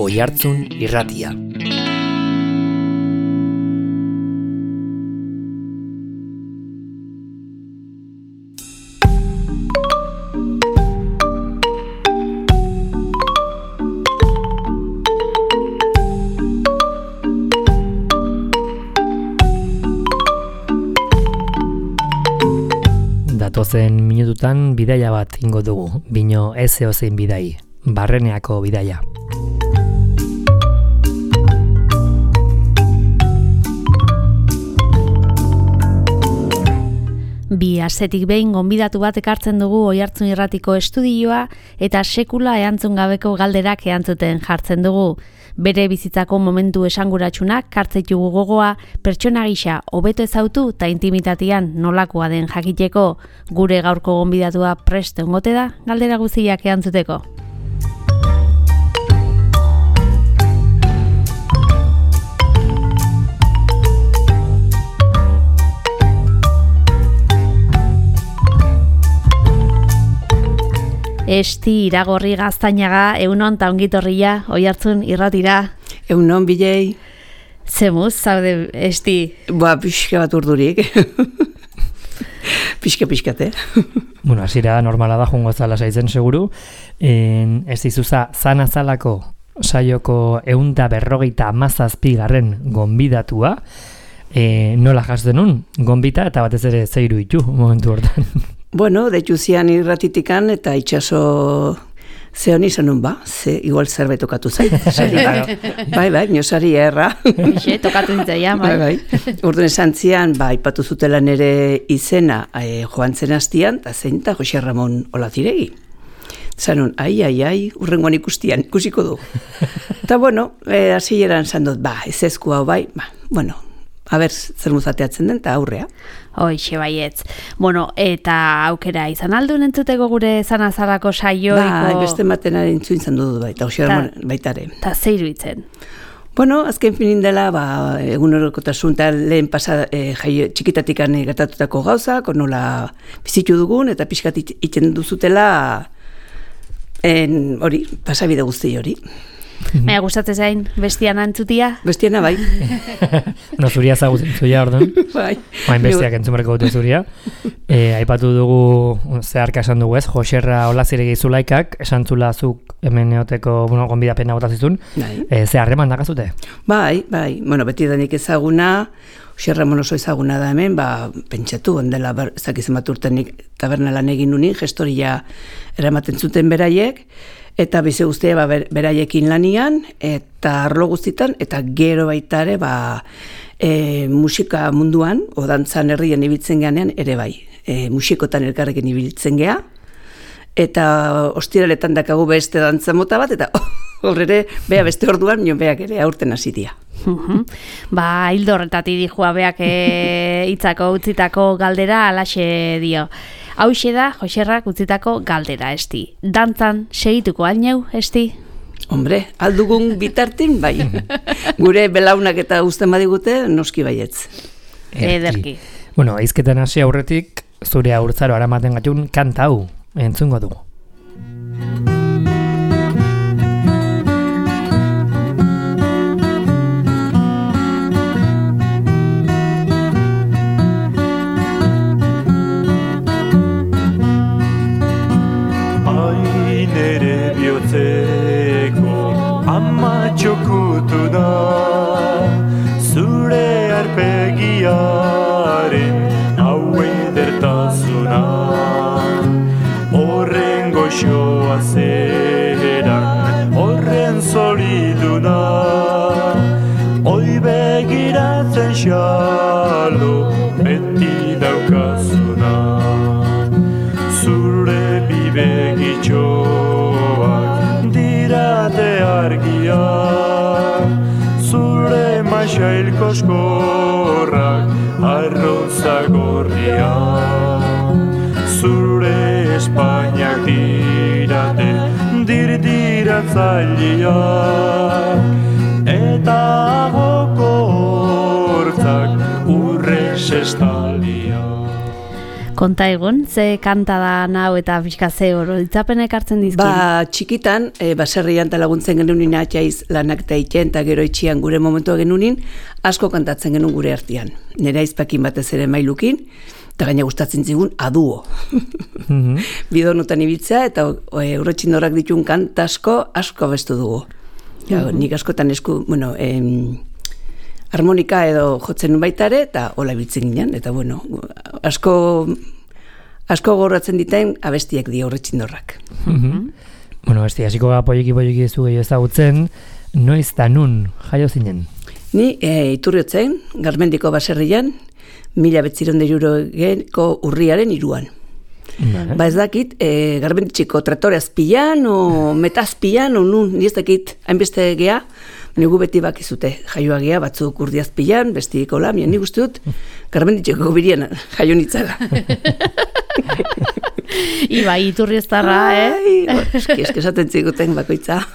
Oihartzun Irratia. Datozen minututan bidaia bat ingo dugu, bino ez eozein bidai, Barreneako bidaia. Bi astetik behin gonbidatu bat ekartzen dugu Oihartzun Irratiko estudioa eta sekula erantzun gabeko galderak erantzuten jartzen dugu. Bere bizitzako momentu esanguratsunak kartzeitugu gogoa, pertsona gisa hobeto ezautu eta intimitatean nolakoa den jakiteko. Gure gaurko gonbidatua prest egongote da galdera guztiak erantzuteko. Esti Iragorri Gaztainaga, egunon eta ongitorria, Oihartzun Irratira. Egunon, Bilei. Zemuz, zaude, Esti? Pixka bat urdurik. Pixka-pixkate. Bueno, hasiera normala da, jungo zala saitzen seguru. Esti zuza, zanazalako saioko 157. gonbidatua. Nola jaztenun, gonbita eta batez ere zeiru itu momentu hortan. Bueno, deitu zian irratitikan eta itxaso zehon izanun igual zerbait tokatu zait. Bai, niosari erra. Ixe, tokatu zitzaia, bai. Orduan esan zian, ipatu zutela nere izena joan zen hastian, eta zein eta Jose Ramon Olaziregi. Zanun, ai, urrengoan ikusiko du. Eta bueno, hasieran zan dut, ez ezkua bai, bueno, aber, zer muzateatzen den, eta aurrea. Hoixe baietz. Bueno, eta aukera izan aldun entzuteko gure zanazalako saioiko... Beste matena entzun izan dut baita, baitare. Eta zeiru itzen? Bueno, azken finin dela, egunerokotasun eta lehen txikitatik gertatutako gauzak, nola bizitu dugun, eta pixkat itzen duzutela hori, pasabide guzti hori. Baina gustatzen zain, bestiana entzutia? Bestiana bai. No, zuria zagutzen zuia, orduan. Bai. Baina bestiak entzumareko dute zuria. Aipatu dugu, zeharka esan dugu ez, Joserra Olaziregi Zulaikak, esan zula zuk hemen eoteko, gonbidapena botazizun. Ze harreman dakazute? Bai. Bueno, beti denik ezaguna, Joserra oso ezaguna da hemen, pentsatu, ondela, ezakizen bat urtenik taberna lan egin nunin, gestoria eramaten zuten beraiek, eta bize guztia beraiekin lanian, eta arlo guztitan, eta gero baitare musika munduan, odantzan herrien ibiltzen geanean, ere bai. Musikotan elkarrekin ibiltzen gea, eta ostiraletan dakagu beste dantza mota bat, eta horrere, beste orduan, nion beak ere aurten hasi dia. Hildo horretatik dijua beak hitzako utzitako galdera alaxe dio. Hauxe da, Joserrak utzitako galdera, Esti. Dantzan segituko alneu, Esti? Hombre, aldugun bitartin, bai. Gure belaunak eta uzten badigute, noski baietz. Ederki. Bueno, aizketan hasi aurretik, zure aurtzaro aramaten gatun kanta hau, entzungo dugu. Txokutu da zure arpegiaren hau edertasuna horren goxoa zeran horren zoriduna oi begiratzen xalo beti daukazuna zure bibegitxoak dirate argiak zure maixail koskorrak arroza gorriak zure Espainiak dirate dirdiratzailiak eta agoko hortzak urre sestaliak. Konta egun, ze kanta da nau eta pixka ze oroitzapenek hartzen dizkin? Txikitan, baserrian eta laguntzen genunin atxaiz lanak eta itxen, eta gero itxian gure momentua genunin, asko kantatzen genuen gure artean. Nera izpakin batez ere mailukin, eta gaina gustatzen zigun aduo. Bidonutan ibiltzea, eta urretxindorak ditun kanta asko bestu dugu. Nik askotan harmonika edo jotzen nun baitare, eta hola ibiltzen ginen, eta asko gorratzen diten abestiak dio urretxindorrak. Hasiko poliki zu gehiago ezagutzen, noiz eta nun jaio zinen? Ni Iturriotzen, Garmendiko baserrian, 1960ko urriaren 3. Ba ez dakit, Garmenditxiko traktore azpian, o metazpian, o nun, ni ez dakit, hainbeste geha, nigu beti bakizute, jaioa geha, batzuk urdi azpian, bestiko lamian, nik uste dut, Garmenditxiko birian jaio nitzala. Ibai, Iturrioztarra, Eski esaten ziguten bakoitza.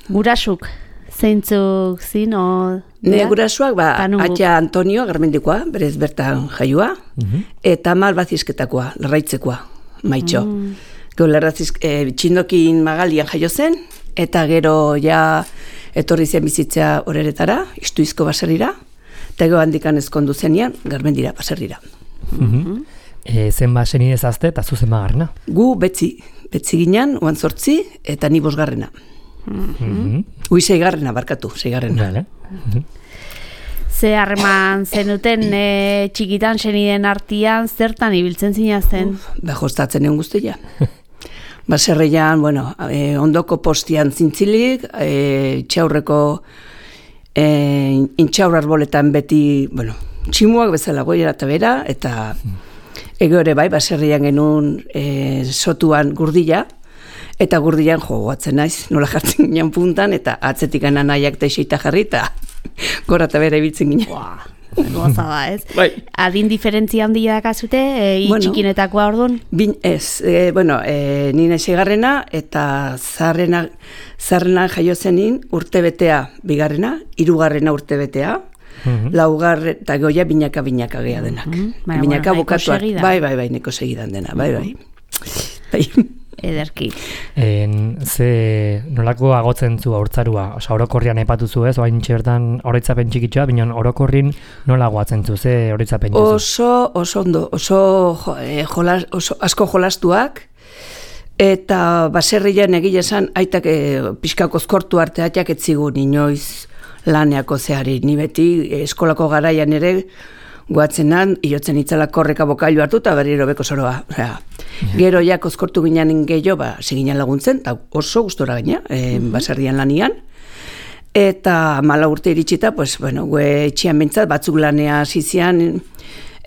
Gurasuk, zeintzuk zin, o... Ne gurasuak, atxa Antonio, Garmendikoa, berez bertan jaioa, eta Amal Bazizketakoa, Larraitzekoa, Maitxo. Txindokin Magalian jaio zen, eta gero ja etorri zen bizitzea horeretara, Istuizko baserrira, eta gero handikan ezkondu zenean, Garmendira baserrira. Zen basen idezazte eta zuzen magarrena? Gu betzi ginen, 8, eta ni 5. Ui, 6. barkatu, 6. Ze harreman zenuten txikitan seniden artian, zertan ibiltzen zinazten? Jostatzen egon guztia. Baserrian, ondoko postian zintzilik, txaurreko intxaur arboletan beti, tximuak bezala goiera eta bera, eta ego ere bai, baserrian genuen sotuan gurdila, eta gurdilan joatzen naiz, nola jartzen ginen puntan, eta atzetik anaiak teixeita jarri, eta gora eta bera ibiltzen ginen. Goza da, ez? Bai. Adin diferentzia handia dakazute, txikinetakoa orduan? Ez, nina 6. eta zaharrena jaio zenin urtebetea 2, 3. urtebetea, 4. eta goia binaka geha denak. Binaka bukatuak, bai, neko segidan dena, bai. Ederki. Nolako agotzen zu haurtzarua? Orokorrian aipatu zu ez, oain txertan oroitzapen txikitxoa, baina orokorrin nola agoatzen zu, ze oroitzapen jozu? Oso ondo, oso asko jolastuak, eta baserrian egile esan, aitak pixkako zkortu arteatiak etzigun inoiz laneako zehari. Ni beti eskolako garaian ere, goatzenan, iotzen itzala korreka bokailu hartu eta berriro beko zoroa. Gero ja kozkortu ginen gehiago, seginen laguntzen, eta oso gustora gaina, baserrian lanian. Eta 4 urte iritsita, gue etxian bintzat, batzuk lanea zizian,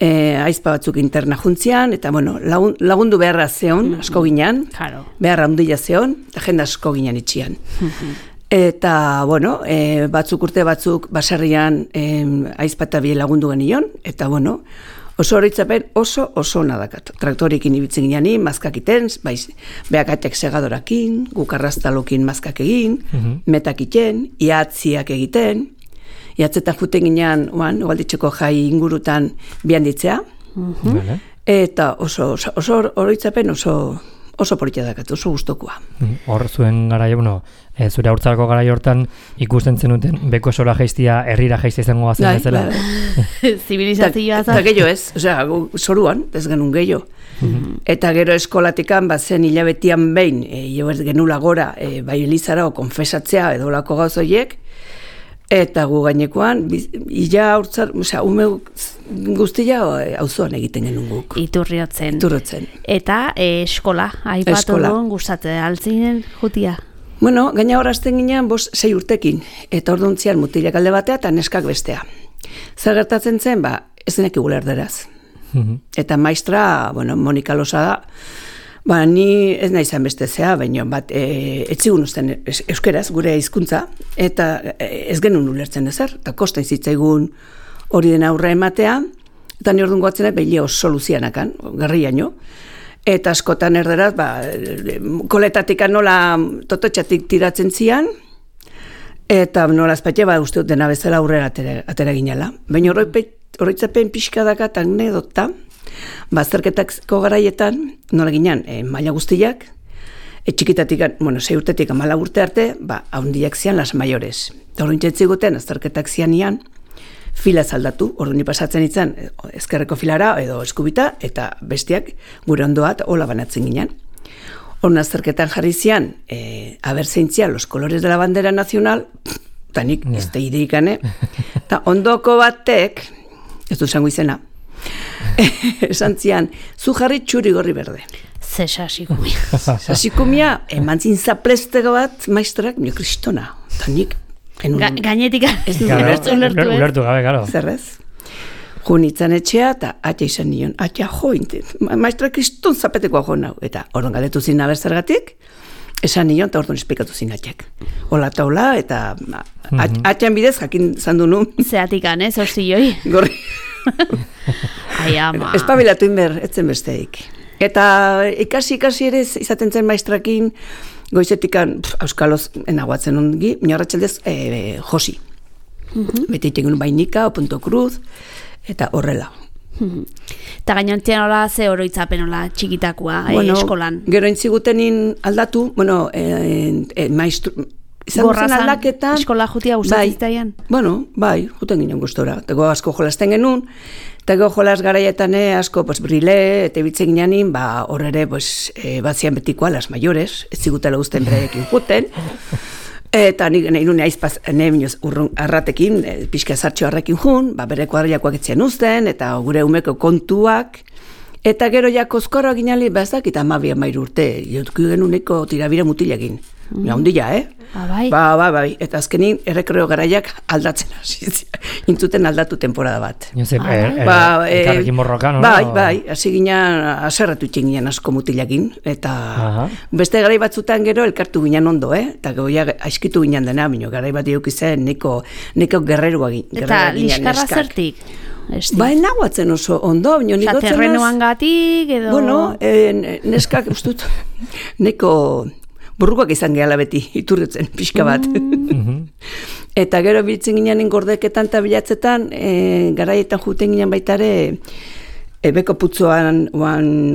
aizpa batzuk interna juntzian, eta lagundu beharra zeon, asko ginen, beharra ondila zeon, eta jende asko ginen itxian. Eta, batzuk urte batzuk baserrian aizpa eta bie lagundu genion, eta, oso horitzapen oso nadakat. Traktorekin ibiltzen ginean, mazkak iten, behakatek segadorakin, gukarraztalokin mazkak egin, metak iten, iatziak egiten, iatzetan juten ginean, ugalditxeko jai ingurutan bihanditzea, eta oso horitzapen oso politia dakat, oso gustokoa. Hor zuen garaio, zure haurtzarako garaio hortan ikusten zenuten beko sola jaiztia, herrira jaiztia izango gazen bezala. Zibilizazioa eta gehiago ez, zoruan, ez genuen gehiago. Eta gero eskolatikan, zen hilabetian behin, genula gora, bai elizara o konfesatzea edo lako gauzoiek, eta gu gainekoan, ila haurtzar, ume guztia auzoan egiten genuen guk. Iturriotzen. Eta eskola, aipatu duen gustatzen altzinen jutia? Gaina horazten ginean 6 urtekin, eta orduntzian mutilak alde batea eta neskak bestea. Zer gertatzen zen, ez denek igula erderaz. Eta maistra, Monika Losa da, ni ez nahi zan bestezea, baina etzigun usten euskeraz, gure hizkuntza, eta ez genuen ulertzen ezer, eta kosta izitzaigun hori den aurre ematea, eta ni orduan goatzen behileo soluzianakan, garriaino, eta askotan erderaz, koletatik nola tototxatik tiratzen zian, eta nola azpatia uste dut dena bezala aurrera atera ginela. Baina oroitzapen pixka dakat anekdota, azterketako garaietan, nola ginen, maila guztiak, txikitatik, 6 urtetik 14 urte arte, haundiak zian las mayores. Eta hori nintzen azterketak zianian, fila zaldatu, orduan pasatzen itzan, ezkerreko filara edo eskubita, eta bestiak gure ondoat hola banatzen ginen. Horren azterketan jarri zian, haber zeintzian los colores de la bandera nacional, eta nik ez da ideikane, eta ondoko batek, ez du zango izena, esan zian, zu jarri txuri gorri berde. Ze sasikumia. Sasikumia, eman zin zaplestego bat, maestrak, nio kristona, eta nik, gainetik ulertu gabe, garo. Zerrez. Junitzen etxea, eta atia izan nion, atia jointe, maestra kriston zapetekoa jo nau, eta orduan galetu zin abertzergatik, esan nion, eta orduan esplikatu zin atiak. Ola eta ola, eta atian bidez jakin zandu nu. Zeatikan, hostilioi. Gorri. Ai, ama. Espabilatu inber, etzen besteik. Eta ikasi ere izaten zen maestrakin, goizetikan auskaloz enaguatzen ongi, miarratxaldez josi. Beti iten bainika, o punto cruz, eta horrela. Eta gainontian hola ze oroitzapen hola txikitakoa eskolan. Gero entzigutenin aldatu, maestru... Gorra zan, eskola jutia gustatzitaian? Bai, juten ginen gustora. Tego asko jolasten genuen, eta go jolas garaietan asko brile, eta bitzen gineanin, horre bazian betikoa, las mayores, ez zigutela guzten bereekin juten, eta nahi nune aizpaz, minoz urrun arratekin, pixka zartxo arrekin jun, bere kuadriakoak etzien uzten, eta gure umeko kontuak, eta gero ja kozkorra ginali, ez dakit 12-13 urte, jotku genuneko tirabira mutilekin. Naundia, Bai. Eta azkenin errekreo garaiak aldatzen hasi. Intzuten aldatu temporada bat. Elkarrekin borrokan, no? Bai, hasi ginen, aserratu itxen ginen asko mutilakin. Eta beste garai batzutan gero elkartu ginen ondo, Eta goia aiskitu ginen dena, bino garai bat diok izan neko gerreroa ginen. Eta liskarra zertik? Nahuatzen oso ondo, bino nikotzen az... Terrenuan gatik, edo... Neskak, ustut, neko... Burrukoak izan gehala beti, iturritzen, pixka bat. Eta gero biltzen ginen gordeketan eta bilatzetan, garaietan juten ginen baitare, beko putzoan,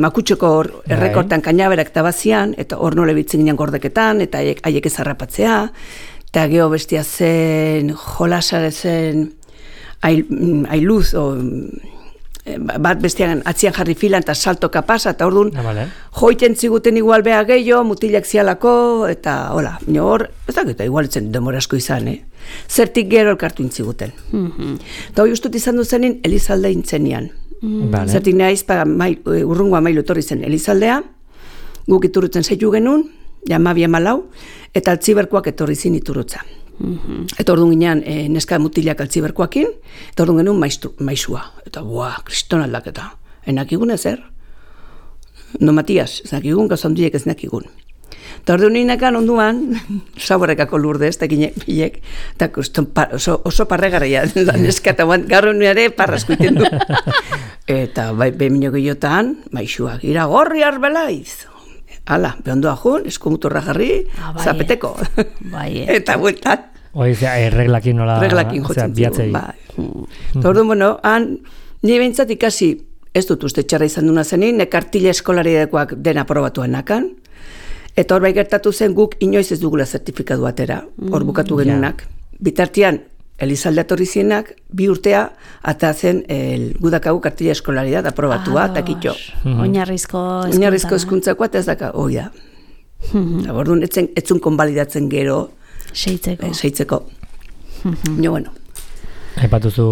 makutxoko errekortan kainaberak tabazian, eta hor nole biltzen ginen gordeketan, eta haiek ezarrapatzea, eta gero bestia zen, jolasare zen, ailuz, bat bestian atzian jarri filan eta saltoka pasa, eta orduan joiten ziguten igual beha gehiago, mutilak zialako, eta hola, hor, ez dakita, igual etzen demora asko izan, Zertik gero elkartu intziguten. Eta hori ustut izan duzenin Elizalde intzenian. Zertik nahiz, urrungoa mailu etorri zen Elizaldea, guk iturrutzen zeitu genuen, jamabia malau, eta altziberkoak etorri zin iturrutza. Eta orduan ginean neska mutilak altziberkoakin, eta orduan genuen maizua. Eta kriston aldaketa. Enakigun ezer? No, Matias, ez nakigun, gauzanduiek ez nakigun. Eta orduan ninekan onduan, saborekako lurde ez, eta ginek, eta oso parregarria neska, eta garro nire parrasko iten du. Eta behemino gehiotan, maizua, gira gorri arbelaiz. Hala, behondoa jun, eskumuturra jarri, zapeteko. Eta bueltan. Reglakin nola... Reglakin jotzen zigun, Eta orduan, nire behintzat ikasi, ez dut uste txarra izan duna zenin, nekartile eskolaridekoak dena probatuan nakan, eta hor bai gertatu zen guk inoiz ez dugula zertifikatu atera, hor bukatu genunak. Bitartian, Elizalde atorri zienak, 2 urtea, eta zen gudakagu kartila eskolaridad aprobatua, eta kitxo. Oinarrizko eskuntzakoa, eta ez daka, hoi da. Orduan, etzun konbalidatzen gero, seitzeko. Bueno. Aipatuzu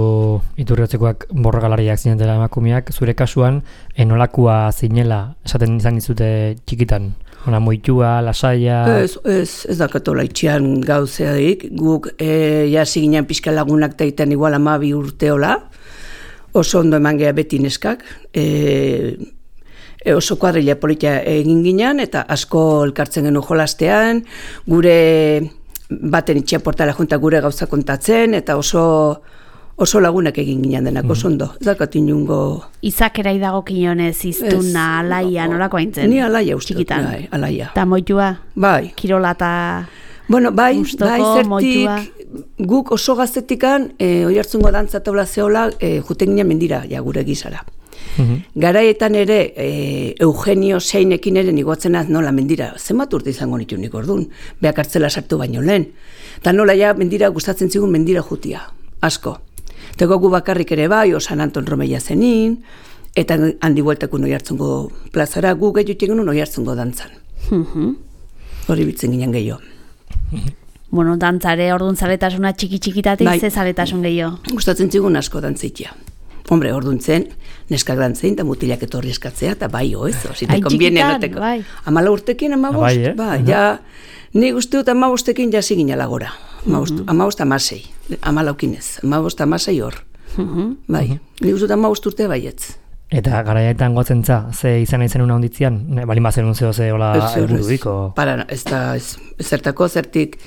iturriotzekoak borrokalariak zinen dela emakumeak, zure kasuan, enolakua zinela, esaten izan dizute txikitan? Ona moitua, lasaia... Ez dakatola itxian gauzeadik, guk jasi ginen pixka lagunak taiten igual 12 urteola, oso ondo eman geha beti neskak, oso kuadrilla politia egin ginen, eta asko elkartzen genuen jolastean, gure baten itxia portala junta gure gauza kontatzen, eta oso lagunak egin ginen denak, oso ondo. Ez dakat inungo... Izakera idago kinonez, iztuna, alaia, nolako haintzen? Ni alaia uste, alaia. Eta moitua? Bai. Kirola eta... Bueno, bai, zertik, guk oso gaztetikan Oiartzungo dantza taula zeola juten ginen mendira, ja gure gizara. Garaietan ere Eugenio Seinekin ere nigotzen nola mendira, zenbat urte izango nitu nik ordun, beak hartzela sartu baino lehen. Eta nola ja mendira gustatzen zigun mendira jutia, asko. Tego gu bakarrik ere bai, San Anton Romeia zenin, eta handi bueltakun Oiartzungo plazara, gu gehiago genuen Oiartzungo dantzan. Hori bitzen ginen gehiago. Bueno, dantzare, orduan zaletasuna txiki-txikitatik, ze zaletasun gehiago? Gustatzen zigun asko dantzaitia. Hombre, orduan zen, neskak dantzein, eta mutilak etorri eskatzea, eta bai, si te conviene noteko. 14 urtekin, 15, ja, ni uste dut 15 urtekin jasi ginala gora. 15, 16, 15 hor. Bai, ni uste dut 15 urte baietz. Eta garaietan gotzentza, ze izan aizen una onditzian, balin bazen zeo ze hola helburudiko? Para, ez da, zertako, zertik,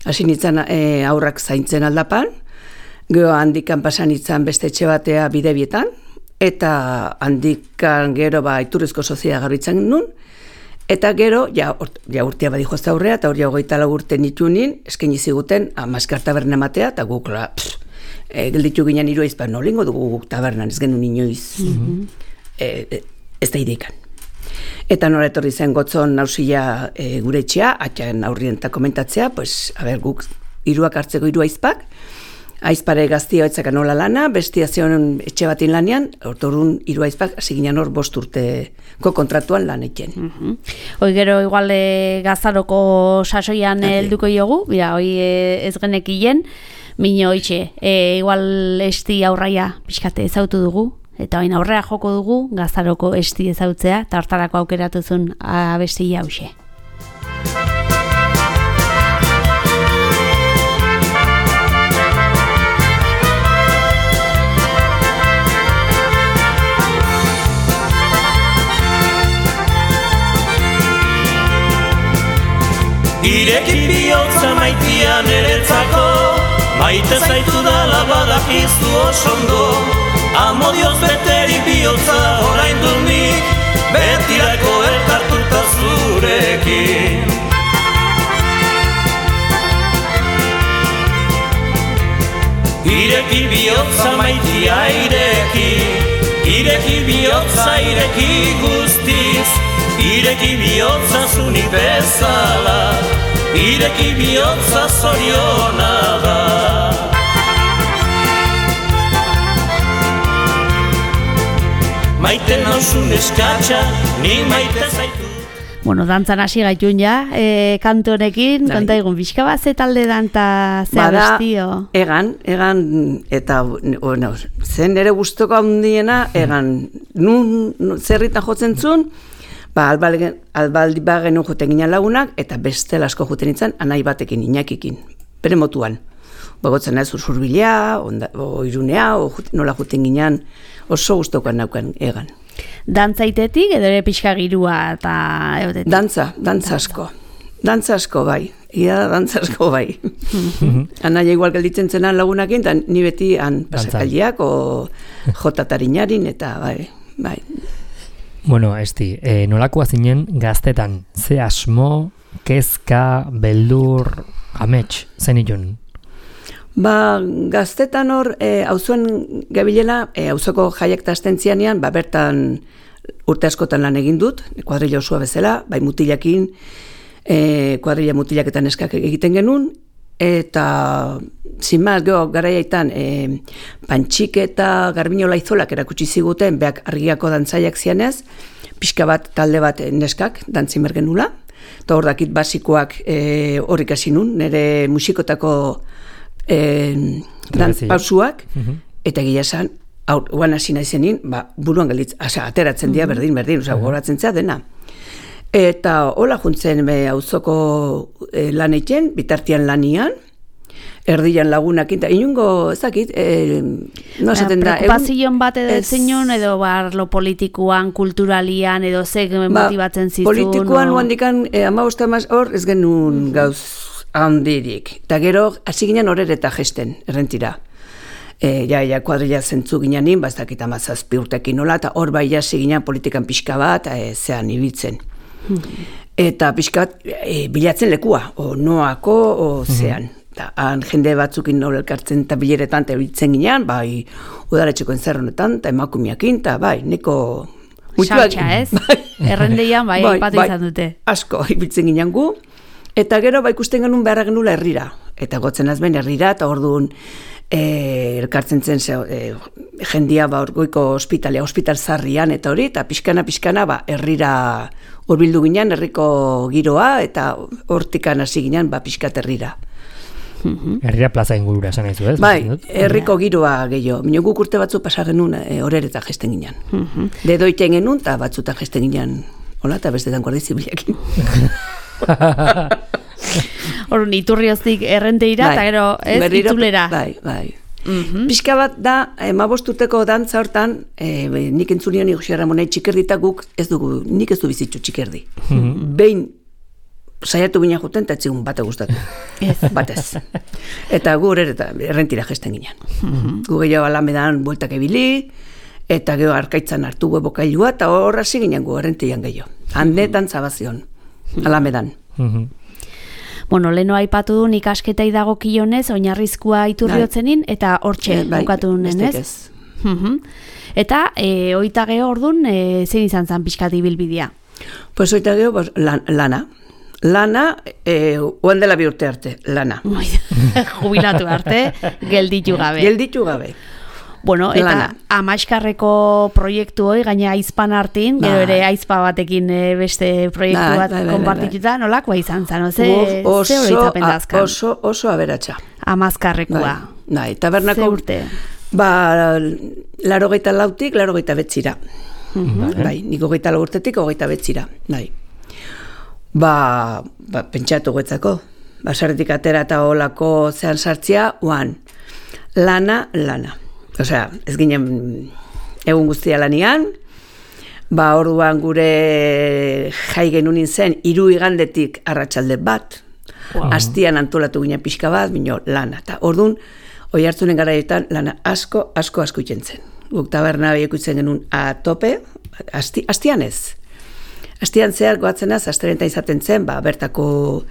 hasi nintzen aurrak zaintzen aldapan, gero handikan pasan nintzen beste etxe batea Bidebietan, eta handikan gero Iturrizko sozia garbitzen nun, eta gero, ja urtea badi joazta aurrea, eta hori 24 urte nitunin, eskaini ziguten, Maskar taberna ematea, eta guk, gelditu ginen Iruaiz, nolingo dugu guk tabernan, ez genuen inoiz, ez da idekan. Eta nola etorri zen gotzon nausila gure etxea, atxan aurrien eta komentatzea, guk Iruak hartzeko Iruaizpak, aizpare gaztia etzaka nola lana, bestia zion etxe batin lanean, ortorun Iruaizpak hasi ginen hor 5 urteko kontratuan lan eken. Hoi gero igual Gazaroko sasoian helduko jogu, hoi ez genekien, mino hoitxe, igual esti aurraia pixkate ezautu dugu, eta hain aurrea joko dugu, Gazaroko esti ezautzea, eta hortarako aukeratuzun abestia hause. Ireki bihotza maitia niretzako, maite zaitu dala badakizu osondo, amodioz beteri bihotza orain dut nik, betirako elkartuta zurekin. Ireki bihotza maitia ireki bihotza ireki guztiz, ireki bihotza zunik bezala, ireki bihotza zoriona da. Maite nausun eskatxa, ni maite zaitu. Bueno, dantzan hasi gaitun ja, kantu honekin, konta egun, pixka bat ze talde danta ze abestio? Egan, eta zen ere guztoko handiena, egan, zerritan jotzen zuen, albaldi bagenun joten ginen lagunak, eta beste asko joten nintzen, anai batekin, Inakikin, bere motuan. Bagotzen ez Urbilea, o Irunea, nola joten ginen, oso guztokoan naukan egan. Dantzaitetik edo ere pixka girua eta egotetik? Dantza asko bai. Ia dantza asko bai. Anaia igual gelditzen zenan lagunakin, eta ni beti pasakaldiak o jotatariñarin, eta bai. Bueno, Esti, nolakoa zinen gaztetan, ze asmo, kezka, beldur, amets, zen ilun? Gaztetan hor, auzoan gabilela, auzoko jaiak eta astentzianean, bertan urte askotan lan egin dut, kuadrilla osua bezala, bai mutilakin, kuadrilla mutilaketan eskak egiten genuen, eta zinmaz, garaiaitan, Pantxik eta Garbino Laizolak erakutsi ziguten, beak argiako dantzaiak zianez, pixka bat, talde bat neskak, dantzin bergenula, eta hor dakit basikoak horrik hasi nun, nire musikotako pausuak, eta gila esan, guan hasi naizenin, buruan galditz, ateratzen dira berdin, goratzen zea dena. Eta hola juntzen auzoko lan egiten, bitartian lanian, erdian lagunakin, eta inungo, ezakit, no esaten da... Preocupazion bat edo zeinon, edo lo politikoan, kulturalian, edo zeg motibatzen zizun? Politikoan, handikan, 15 hor, ez genuen gauz handirik. Eta gero, hasi ginen horret eta gesten, errentira. Kuadrilla zentzu ginen, ez dakit 17 urtekin nola, eta hor bai hasi ginen politikan pixka bat, zean ibiltzen. Eta pixka bat bilatzen lekua, o noako, o zean. eta han jende batzukin nola elkartzen eta bileretan eta biltzen ginean, bai, udaletxeko entzerronetan, eta emakumiakin, eta bai, neko... Saltxa, ez? Errendeian, bai, aipatu izan dute. Asko, ibiltzen ginean gu, eta gero, bai, ikusten genuen beharra genula herrira. Eta gotzen azben herrira, eta orduan elkartzen zen jendia goiko hospital zarrian, eta hori, eta pixkana, herrira hurbildu ginean, herriko giroa, eta hortikan hasi ginean, pixkat herrira. Herrira plaza ingurura esan aizu, ez? Bai, herriko giroa gehiago. Mino guk urte batzu pasa genuen horereta gesten ginean. Dedoiten genuen, eta batzuta gesten ginean, hola, eta bestetan guardi zibilekin. Horun, Iturrioztik errenteira, eta gero, ez, Itulera. Bai. Pixka bat da, 15 urteko dantza hortan, nik entzunion Jose Ramonei txikerdi guk nik ez du bizitzu txikerdi. Behin saiatu ginen juten, eta etzigun bate gustatu. Batez. Eta gu errentira gesten ginen. Gu gehiago Alamedan bueltak ebili, eta gero Arkaitzan hartu bokailua, eta horra hasi ginen gu errentian gehiago. Handetan zabazion, Alamedan. Bueno, leno aipatu du ikasketei dagokionez, oinarrizkoa Iturriotzenin, eta hortxe bukatu nenez. Eta, oita geho ordun, zein izan zan pixkat ibilbidea? Pues oita geho, lana. Lana, oan dela bi urte arte, lana. Jubilatu arte, gelditu gabe. Gelditu gabe. Bueno, eta Amaixkarreko proiektu hoi, gaina aizpan hartin, gero ere aizpa batekin beste proiektu bat konpartituta, nolakoa izan zan, ze horietapen dazkan? Oso aberatsa. Amazkarrekoa. Bai, tabernako... Ze urte? 84-tik, 89-ra. Bai, nik 24 urtetik, 29-ra. Bai. Pentsatu guetzako. Basarretik atera eta olako zean sartzia, lana. Osea, ez ginen egun guztia lanian, orduan gure jai genuen zen 3 igandetik arratsalde bat, astian antolatu ginen pixka bat, bino lana. Eta orduan, Oiartzunen garaietan lana asko itzen zen. Guk taberna behiak itzen genuen tope, astian ez. Astian zehar goatzen asterenta izaten zen, bertako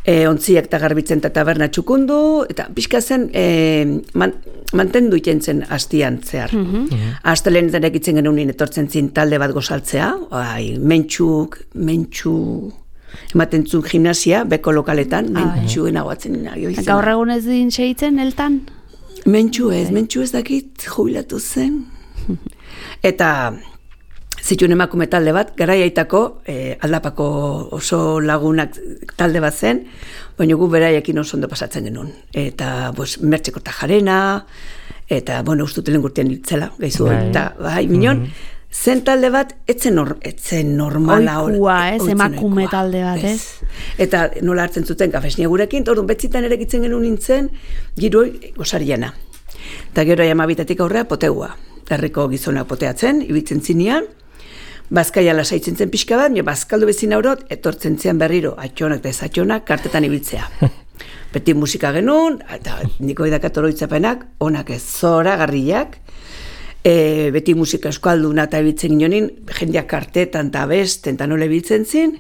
ontziak eta garbitzen eta taberna txukundu, eta pixka zen mantendu iten zen astian zehar. Astelen zen egitzen genuen etortzen zin talde bat gozaltzea, mentxu, ematen zuen gimnasia, beko lokaletan, mentxuen aguatzen nahi. Gaur egun ez din seitzen, eltan? Mentxu ez dakit jubilatu zen. Eta zituen emakume talde bat, garaiaitako aldapako oso lagunak talde bat zen, baina gu beraiekin oso ondo pasatzen genuen. Eta mertxeko tajarena, eta ustutelen gurtean hiltzela, gaizu. Eta minon, zen talde bat, etzen normala. Oikua, emakume talde bat, ez? Eta nola hartzen zuten kafesnia gurekin, eta orduan betzitan ere gitzen genuen nintzen, giroi gozariana. Eta gero amabitatik aurrea poteua. Herriko gizonak poteatzen, ibitzen zinean, Bazkaia lasaitzen zen pixka bat, bazkaldu bezin aurot, etortzen zean berriro, atxonak eta ez atxonak, kartetan ibiltzea. Beti musika genuen, eta niko idakat oroitzapenak, onak ez zora, garriak, beti musika euskalduna eta ibiltzen ginonin, jendeak kartetan eta besten, eta nola ibiltzen zin,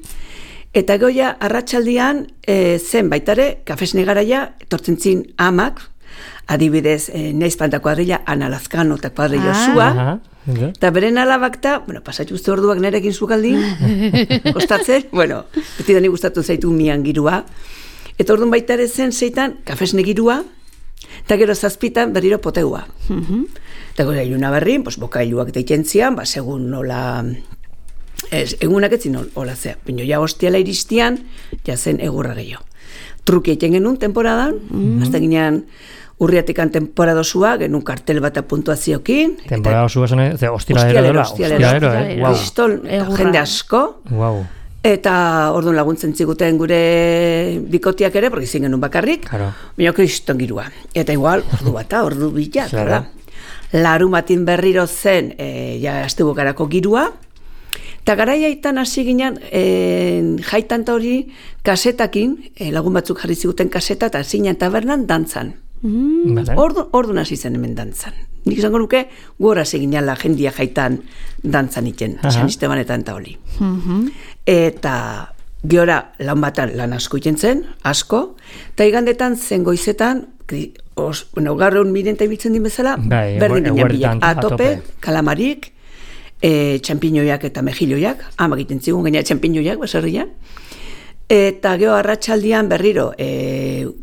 eta goia, arratsaldian zen baitare, kafesne garaia, etortzen zin amak, adibidez, neizpanta kuadrilla, Ana Lazkano eta kuadrilla Osua, eta beren alabak eta, pasatxu uste orduak nerekin zukaldin, kostatzen, beti dani gustatu zaitu mian girua, eta orduan baita ere zen zeitan kafesne girua, eta gero zazpitan berriro poteua. Eta gero iluna berrin, bokailuak deiten zian, segun nola, egunak etzin hola zea, bino ja hostiala iristian, ja zen egurra gehiago. Truki egiten genuen temporadan, hasta ginean, Urriatikan temporadosua, genuen kartel bat puntuaziokin. Temporadosua zen, hostialero, jende asko. Eta orduan laguntzen ziguten gure bikotiak ere, porque izin genuen bakarrik, baina kriston girua. Eta igual, ordu bata, ordu bila. Larumatin berriro zen, astebukarako girua. Eta garaiaitan hasi ginen, jaitan eta hori, kasetakin, lagun batzuk jarri ziguten kaseta, eta zinean tabernan dantzan. Orduan hasi zen hemen dantzan. Nik izango nuke, gora seginala jendia jaitan dantzan iten, San Estebanetan eta hori. Eta Geora lan batan lan asko iten zen, asko, eta igandetan zen goizetan, gaur egun mirenta ibiltzen din bezala, berdin ginen bilak, atope, kalamarik, txampiñoiak eta mejilloiak, egiten zigun gaina txampiñoiak, baserrian, eta geho arratsaldian berriro,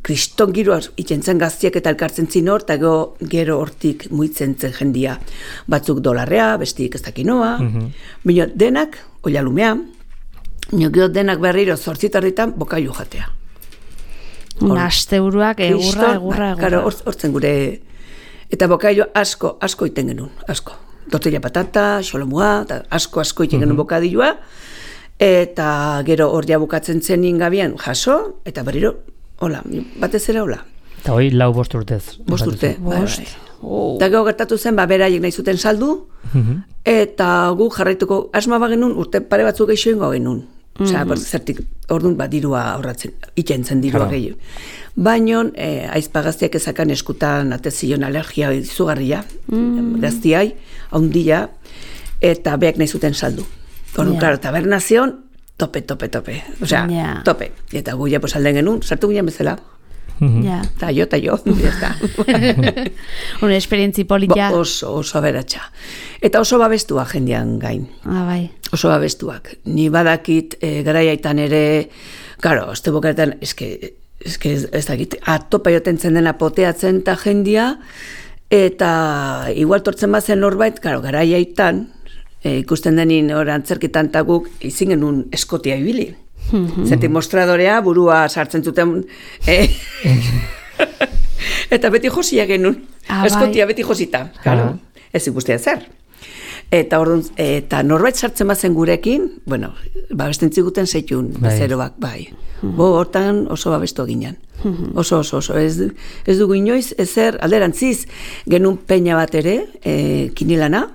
kriston giroa itxentzen gaztiak eta elkartzen zinor, eta gero hortik muitzen zen jendia, batzuk dolarrea, bestik ez dakinoa, baina denak, oialumea, gero denak berriro 8:00 bokailu jatea. Asteburuak egurra. Karo, hortzen gure, eta bokailu asko iten genuen, asko. Tortilla patata, xolomua, asko iten genuen bokadilua, eta gero hor ja bukatzen zen ingabian jaso, eta berriro, hola, batez ere hola. Eta hoi 4-5 urtez. 5 urte, bai. Eta gero gertatu zen, beraiek nahi zuten saldu, eta gu jarraituko asma bagenun, urte pare batzuk geixo ingo genuen. Osea, zertik, orduan, dirua aurratzen, ikentzen dirua gehiago. Baina, aizpagaztiak ezakan eskutan atezion alergia izugarria, gaztiai, haundia, eta beak nahi zuten saldu. Claro, tabernazion, tope. Osea, tope. Eta gu ja alden genuen, sartu ginen bezala. Ta jo, eta. Una esperientzi politia. Oso aberatsa. Eta oso babestuak jendean gain. Bai. Oso babestuak. Ni badakit garaiaitan ere, claro, este bokaretan, eske ez dakit, atopa joten zen dena poteatzen eta jendia, eta igual tortzen bazen norbait, claro, garaiaitan, ikusten denin antzerkitan eta guk izin genuen eskotia ibili. Zertik mostradorea burua sartzen zuten eta beti josia genuen eskotia beti josita ez ikustea zer eta orduan, eta norbait sartzen bazen gurekin, bueno, babesten ziguten zeitun bezeroak, bai hortan oso babestu ginen oso, ez dugu inoiz ezer alderantziz genuen peña bat ere kinilana.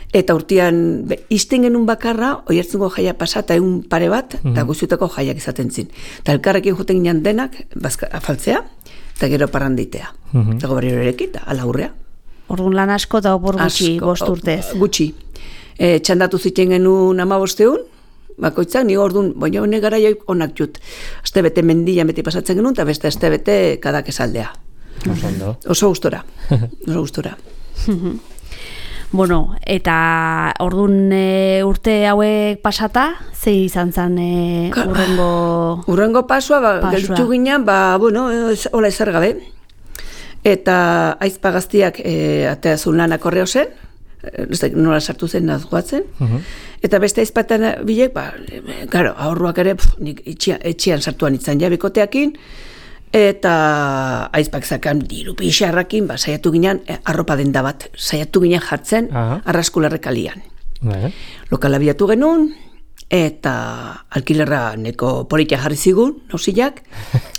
Eta urtean, izten genuen bakarra, oiertzungo jaia pasata egun pare bat, eta guztiutako jaiak izaten zin. Eta elkarrekin joten ginen denak, afaltzea, eta gero parranditea. Eta goberriro erekit, ala hurrea. Orduan lan asko eta opor gutxi, 5 urtez. Gutxi. Txandatu ziten genuen 15 bakoitzak, ni orduan, baina hone gara joik onak jut. Aste bete mendian beti pasatzen genuen, eta beste aste bete kadak esaldea. Oso gustora. Bueno, eta orduan urte hauek pasata, ze izan zen urrengo... Urrengo pasua, gelditu ginen, hola ezer gabe. Eta aizpagaztiak ateazun lanak horreo zen, nola sartu zen nazgoatzen. Eta beste aizpatan bilek, ahorruak ere, nik etxean sartuan itzan jabikoteakin, eta aizpak zakan diru pixarrakin, saiatu ginen arropa denda bat, saiatu ginen jartzen arraskularrekalian. Lokala biatu genuen, eta alkilerra neko politia jarri zigun, nausiak,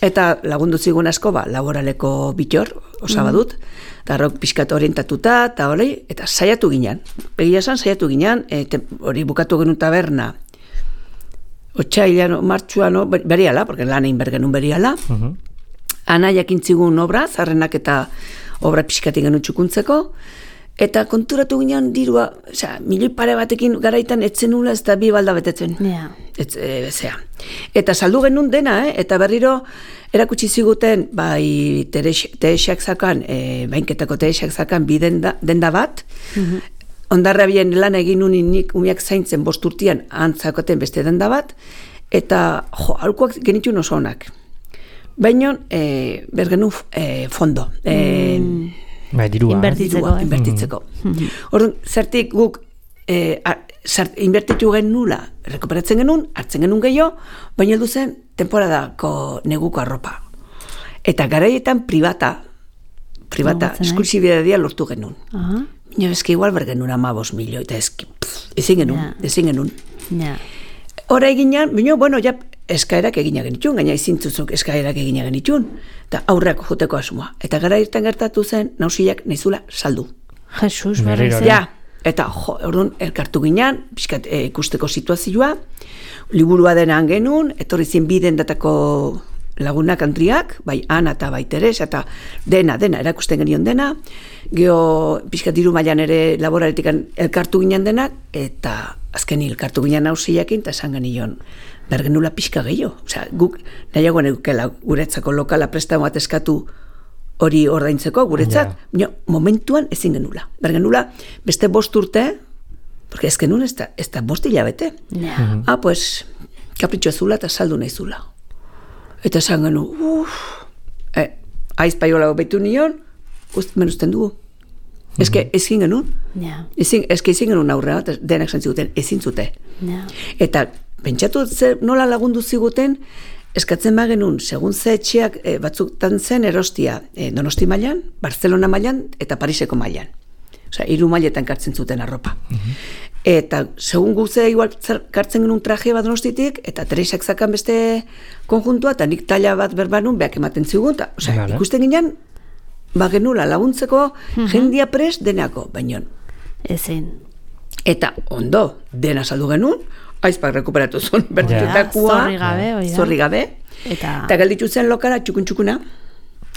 eta lagundu zigun asko, laboraleko bitor, osabadut, eta arrok pixkat orientatuta, eta hori, eta saiatu ginen. Begia esan, saiatu ginen, hori bukatu genuen taberna, otxailan, martxuan, beriala, porque lan egin bergenun beriala, anaiak intzigun obra, zarrenak eta obra pixkatik genuen txukuntzeko, eta konturatu ginen dirua, milioi pare batekin garaitan etzen nula ez da 2 balda betetzen. Eta saldu genuen dena, eta berriro erakutsi ziguten, teresak zakan, bainketako teresak zakan bi denda bat, ondarra bien lan egin unin nik umiak zaintzen 5 urtean antzakoten beste denda bat, eta aurkoak genitun oso onak. Baina, bergenu fondo. Dirua. Inbertitzeko. Orduan, zertik guk inbertitu gen nula, rekuperatzen genuen, hartzen genuen gehiago, baina heldu zen temporadako neguko arropa. Eta garaietan privata, esklusibidadia lortu genuen. Baina eski igual bergenuen 15 milioi, eta ezin genuen. Hora eginan, baina, ja, eskaerak egina genitxun, gaina izintzuzuk eskaerak egina genitxun, eta aurreako joteko asmoa. Eta gara irten gertatu zen, nausiak nahizula saldu. Jesus, berriz. Ja, eta orduan elkartu ginen, pixkat ikusteko situazioa, liburua denan genuen, etorri zen 2 dendatako lagunak Andriak, bai Ana eta bai Teresa, eta dena, erakusten genion dena, geho pixka diru mailan ere laboraletik elkartu ginen denak, eta azken elkartu ginen hausiakin, eta esan genion, bergenula pixka gehiago. Osea, guk nahiagoan egukela guretzako lokala prestago bat eskatu hori ordaintzeko guretzat, momentuan ezin genula. Bergenula beste 5 urte, porque ez genuen ez da 5 hilabete. Pues, kapritxo zula eta saldu nahi zula. Eta esan genu, aizpaiola betu nion, menusten dugu. Ezke ezin genuen. Ezke ezin genuen aurrera, denak zantziguten, ezin zute. Eta pentsatu nola lagundu ziguten, eskatzen bagenun, segun ze etxeak batzuktan zen erostia Donosti mailan, Barcelona mailan eta Pariseko mailan. Osea, 3 mailetan kartzen zuten arropa. Eta segun guze igual kartzen genuen traje bat Donostitik, eta Teresak zakan beste konjuntua, eta nik talla bat berbanun, beak ematen zigun, osea, ikusten ginen, genula laguntzeko jendia pres denako, baino. Ezin. Eta ondo, dena saldu genuen, aizpak rekuperatu zuen bertutakoa, zorri gabe, eta galditu zen lokala txukun-txukuna,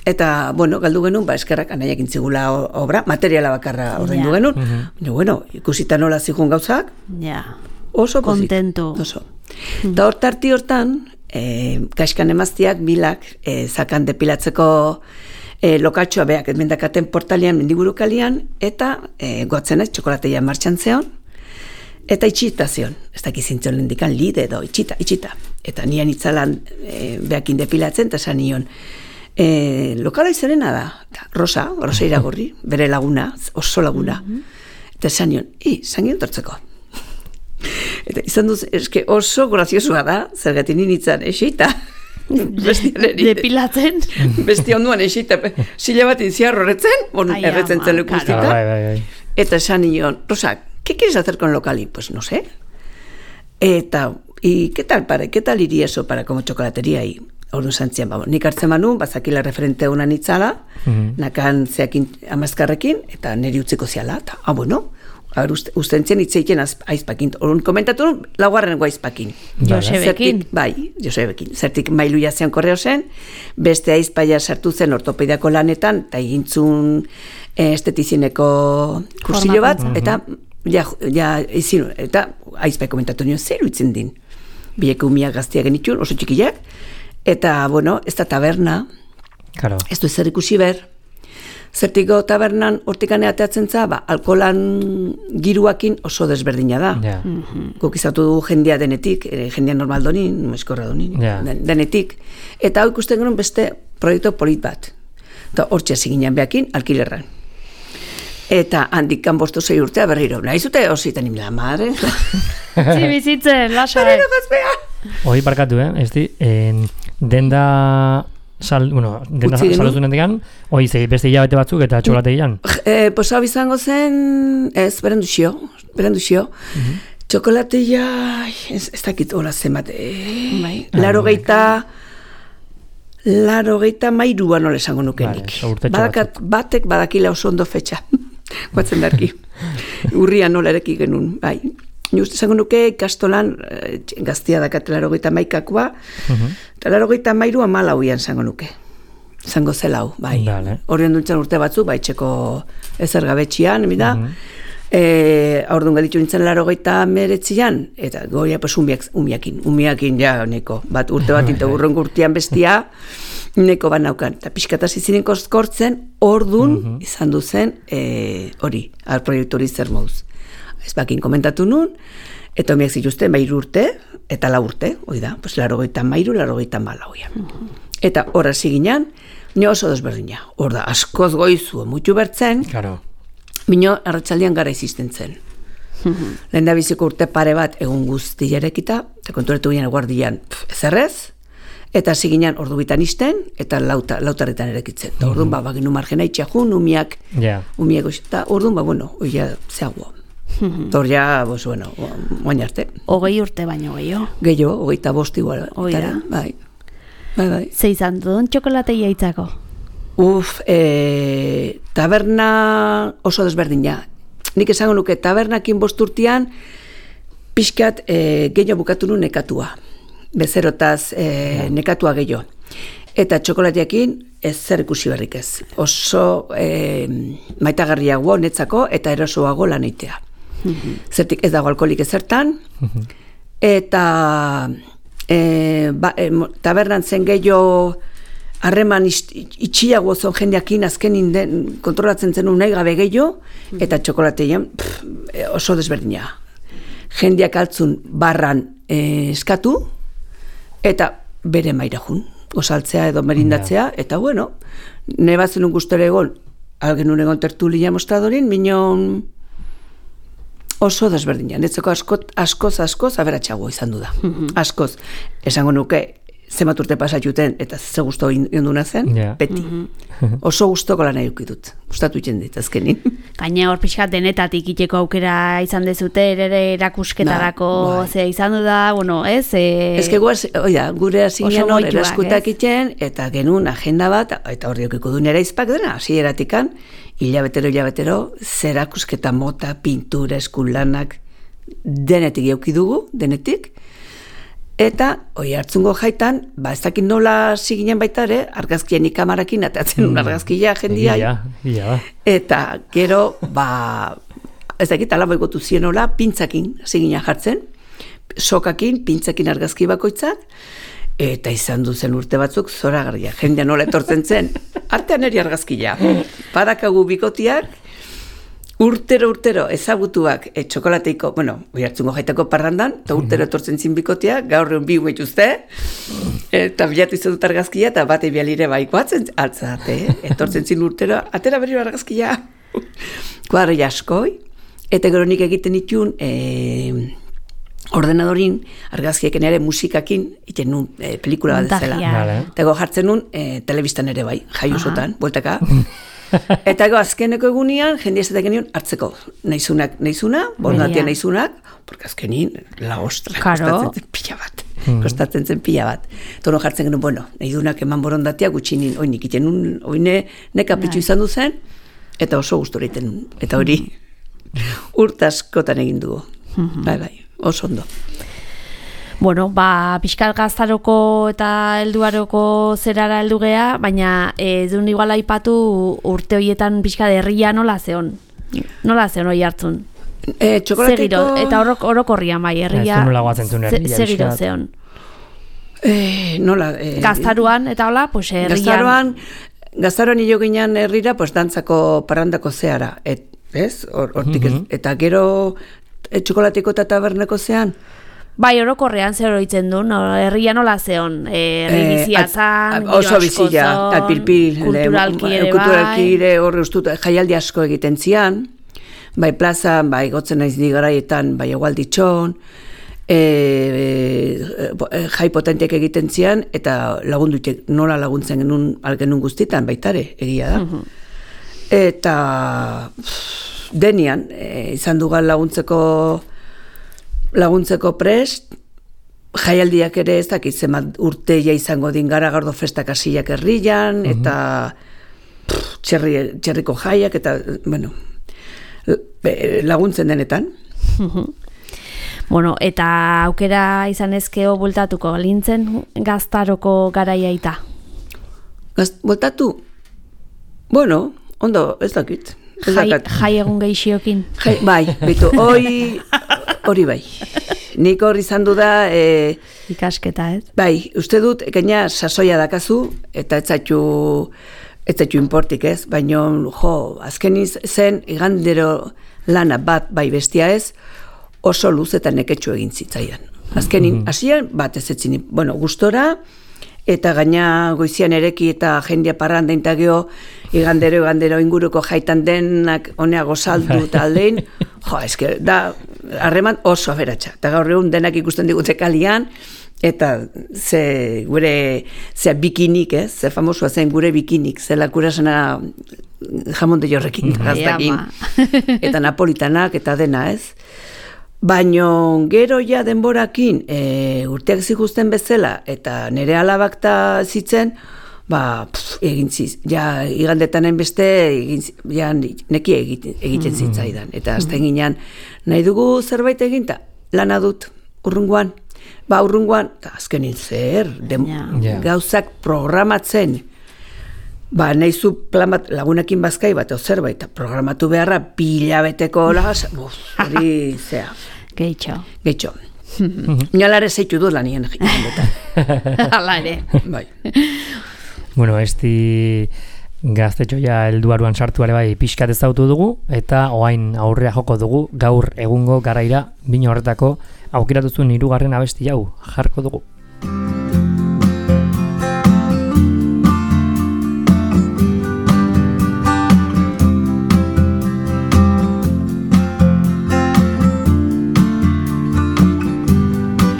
eta, galdu genuen, eskerrak anaiak intzigula obra, materiala bakarra ordaindu genuen, ikusita nola zigun gauzak, oso kontento. Oso. Eta hortarti hortan, kaskan emaztiak bilak, zakan depilatzeko lokatxoa beak, edmendakaten portalian, mendigurukalian, eta goatzen ez, txokolateia martxan zeon, eta itxita zion, ez dakizintzen lendikan lide edo, itxita. Eta nian itzalan beakin depilatzen, eta esan nion, lokala izanena da, Rosa Iragorri, bere laguna, oso laguna. Eta esan nion, zangion tortzeko. Eta izan duz, eske oso graziosua da, zergatik ninitzan esita. Depilatzen? Besti onduan esita, sila bat inziar horretzen, erretzen zen lekustita. Eta esan nion, Rosa, ¿qué quieres hacer con Locali? Pues no sé. ¿Y qué tal, padre? ¿Qué tal iría eso para como chocolatería? Y orduan santzian, nik hartzen manu, bazakila referente una nitzala, nakan zeakin amazkarrekin, eta niri utziko ziala, eta, ustentzen itzeiken aizpakin. Orduan komentatu, laugarrengo aizpakin. Josebekin. Bai, Josebekin. Zertik mailuia zean korreo zen, beste aizpaia sartu zen ortopediako lanetan, eta egintzun estetizineko kursillo bat, eta eta aizpai komentatu nion, zer uitzen din. Bileko umiak gaztiak genitxun, oso txikiak, eta, ez da taberna, ez du zer ikusi ber, zertiko tabernan hortikane ateatzen za, alkoholan giruakin oso desberdina da. Guk izatu du jendia denetik, jendia normal donin, eskorra donin, denetik. Eta hau ikusten genuen beste proiektu polit bat. Eta hortxe ziginen behakin, alkilerran. Eta handikan 5-6 urtea berriro. Nahizute hositan imela, madre. Bizitzen, lasa. Berriro gazbea. Hoi barkatu, ez di, denda saldutu nendekan, hoi beste hilabete batzuk eta txokolategian? Pues hau izango zen, ez, berenduzio. Txokolategia, ez dakit hola zenbat, 83 nola esango nukenik. Batek badakila oso ondo fetxa. Guatzen darki. Urrian nola ereki genuen, bai. Just esango nuke ikastolan gaztia dakat 81koa, eta 83 amalauian esango nuke. Esango zelau, bai. Horien duntzen urte batzu, bai, txeko ezer gabetxian, mida. Aurduan gaditu nintzen 89an, eta goia, pues, umiakin, ja, neko, bat urte bat, eta urrengo urtean bestia, neko bat naukan. Eta pixkataz izinen koskortzen, orduan izan duzen hori, proiektu hori zer moduz. Ez bakin komentatu nun, eta omiak zituzten 3 urte, eta 4 urte, hoi da, pues 83, 84. Eta horra ziginan, nio oso desberdina. Hor da, askoz goizu, mutu bertzen, bino arratsaldean gara izisten zen. Lehen da biziko urte pare bat egun guzti jarekita, eta konturetu ginen guardian ezerrez, eta ziginan ordu bitan izten, eta lautarretan erekitzen. Eta orduan, baginu margena itxajun, umiak eta orduan, oia zeagoa. Tor ja, moin arte. 20 urte baino gehiago. Gehiago, 25 igual. Bai. Ze izan duen txokolateia itzako? Taberna oso desberdina. Nik esango nuke tabernakin 5 urtean pixkat gehiago bukatu nu nekatua. Bezerotaz nekatua gehiago. Eta txokolateakin ez zer ikusi berrik ez. Oso maitagarriago netzako eta erosoago lan eitea. Zertik ez dago alkoholik ezertan, eta tabernan zen gehiago harreman itxiago zon jendeakin azkenin kontrolatzen zen nahi gabe gehiago, eta txokolatean oso desberdina. Jendeak altzun barran eskatu, eta bere maira jun, gozaltzea edo merindatzea, eta bueno, nebatzen un gustore egon, algen un egon tertulia mostradorin, minon oso desberdina. Netzeko askoz aberatxago izan du da. Askoz. Esango nuke, zenbat urte pasatuten, eta ze guztu onduna zen, beti. Oso guztoko lan edukitut. Gustatu iten dit, azkenin. Gaina hor pixkat denetatik iteko aukera izan dezute, ere erakusketarako zea izan du da, bueno, ez? Ez que gure hasinean hor eraskutak iten, eta genuen agenda bat, eta hor diokiko du nera izpak dena, hasieratik hilabetero, zerakusketa mota, pintura, eskunlanak, denetik eukidugu, denetik, eta hoi hartzungo jaitan, ez dakit nola ziginen baita ere, argazkien ikamarakin, atatzen un argazkia jendia, eta gero, ez dakit alabo egotu zien nola, pintzakin ziginen jartzen, sokakin, pintzakin argazki bakoitzak, eta izan duzen urte batzuk zoragarria, jendea nola etortzen zen, artean eri argazkia. Badakagu bikotiak, urtero ezagutuak txokolateiko, hoi hartzungo jaitako parrandan, eta urtero etortzen zin bikotiak, gaur egun bi umetuzte, eta bilatu izan dut argazkia, eta bate bialire baikoatzen altzate, etortzen zin urtero, atera berriro argazkia, kuadro jaskoi, eta gero nik egiten itun, ordenadorin argazkieken ere musikakin iten nun pelikula bat dezela. Eta jartzen nun telebistan ere bai, jaiosotan, bueltaka. Eta azkeneko egunean, jende ezatek genion hartzeko. Naizuna, bondatia naizunak, porque azkenin, la ostra, kostatzen zen pila bat. Tono jartzen genuen, nahidunak eman borondatia gutxinin, oinik iten nun, oine nekapitxu izan duzen, eta oso gustora iten nun. Eta hori, urtaskotan egin dugu. Bai. Oso ondo. Bueno, pixkal gaztaroko eta helduaroko zerara heldu gea, baina duen igual aipatu urte horietan pixkal herria nola zeon? Nola zeon hori hartzun? Txokolateko... Eta orokorrian bai, herria... Zegiro zeon? Nola... Gaztaruan, eta hola, pues herrian... Gaztaruan hilo ginean herrira, pues dantzako parrandako zeara, ez? Hortik ez. Eta gero... Txokolateko eta taberneko zean? Bai, orokorrean zer horitzen du, herria nola zeon, herri biziatzan, oso bizia, alpilpil, kulturalki ere horre ustut, jaialdi asko egiten zian, bai plazan, bai gotzen naiz digaraietan, bai egualditxon, jai potentiak egiten zian, eta lagundutek nola laguntzen genuen guztitan, baitare, egia da. Eta... Denian, izan dugan laguntzeko prest, jaialdiak ere ez dakit zemat urteia izango din Garagardo festak hasiak herrian, eta txerriko jaiak, eta, laguntzen denetan. Bueno, eta aukera izan ezkeo bultatuko, lintzen gaztaroko garaiaita? Bultatu? Bueno, ondo, ez dakit. Jai egun gehixiokin. Bai, bitu, hori bai. Nik hor izan du da... Ikasketa, ez? Bai, uste dut, gaina sasoia dakazu, eta ez zaitu inportik, ez? Baina, azken zen, igandero lana bat bai bestia ez, oso luz eta neketxu egin zitzaidan. Azkenin, hasian bat ez etzin, gustora, eta gaina goizian ereki eta jendia parranda intagio, igandero inguruko jaitan denak honea gozaldu eta aldein, eske da, harreman oso aberatsa. Eta gaur egun denak ikusten digute kalian, eta ze bikinik, ze famosua zen gure bikinik, zela kurasena jamon de jorrekin, gaztakin, eta napolitanak, eta dena, ez? Baina gero ja denborakin urteak zikusten bezala eta nire alabak ta zitzen, egin ziz, ja igandetanen beste ja neki egiten zitzaidan. Eta azten ginean, nahi dugu zerbait eginta, lana dut urrungoan, urrungoan, azkenin zer, gauzak programatzen, nahizu plan bat, lagunekin bazkai bat, zerbait, programatu beharra, bilabeteko lagaz, hori zea. Gehitxo. Nalare zeitu du lanien jendetan. Hala ere. Bai. Bueno, gaztetxoia helduaruan sartuare bai pixkat ezautu dugu, eta oain aurrea joko dugu, gaur egungo garaira, bine horretako aukeratuzun 3. abesti hau jarko dugu.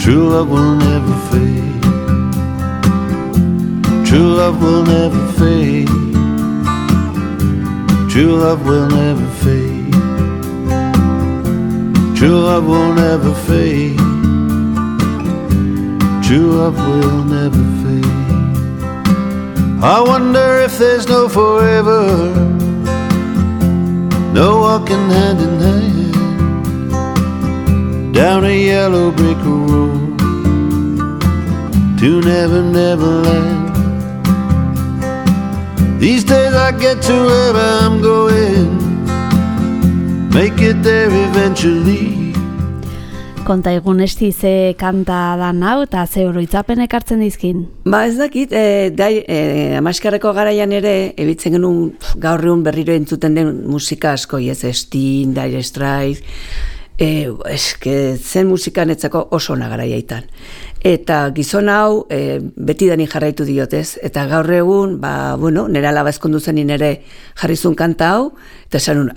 True love will never fade. True love will never fade. True love will never fade. True love will never fade. True love will never fade. I wonder if there's no forever, no walking hand in hand down a yellow brick road to Never Never Land. These days I get to wherever I'm going, make it there eventually. Konta egun ze kanta dan hau eta ze oroitzapen ekartzen dizkin? Ez dakit, amaskarreko garaian ere, ebitzen genuen gaur egun berriro entzuten den musika asko, Sting, Dire Straits, zen musika netzako oso nagaraiaitan. Eta gizon hau beti dani jarraitu diotez, eta gaur egun, nire alaba ezkondu zenin ere jarrizun kanta hau, eta esan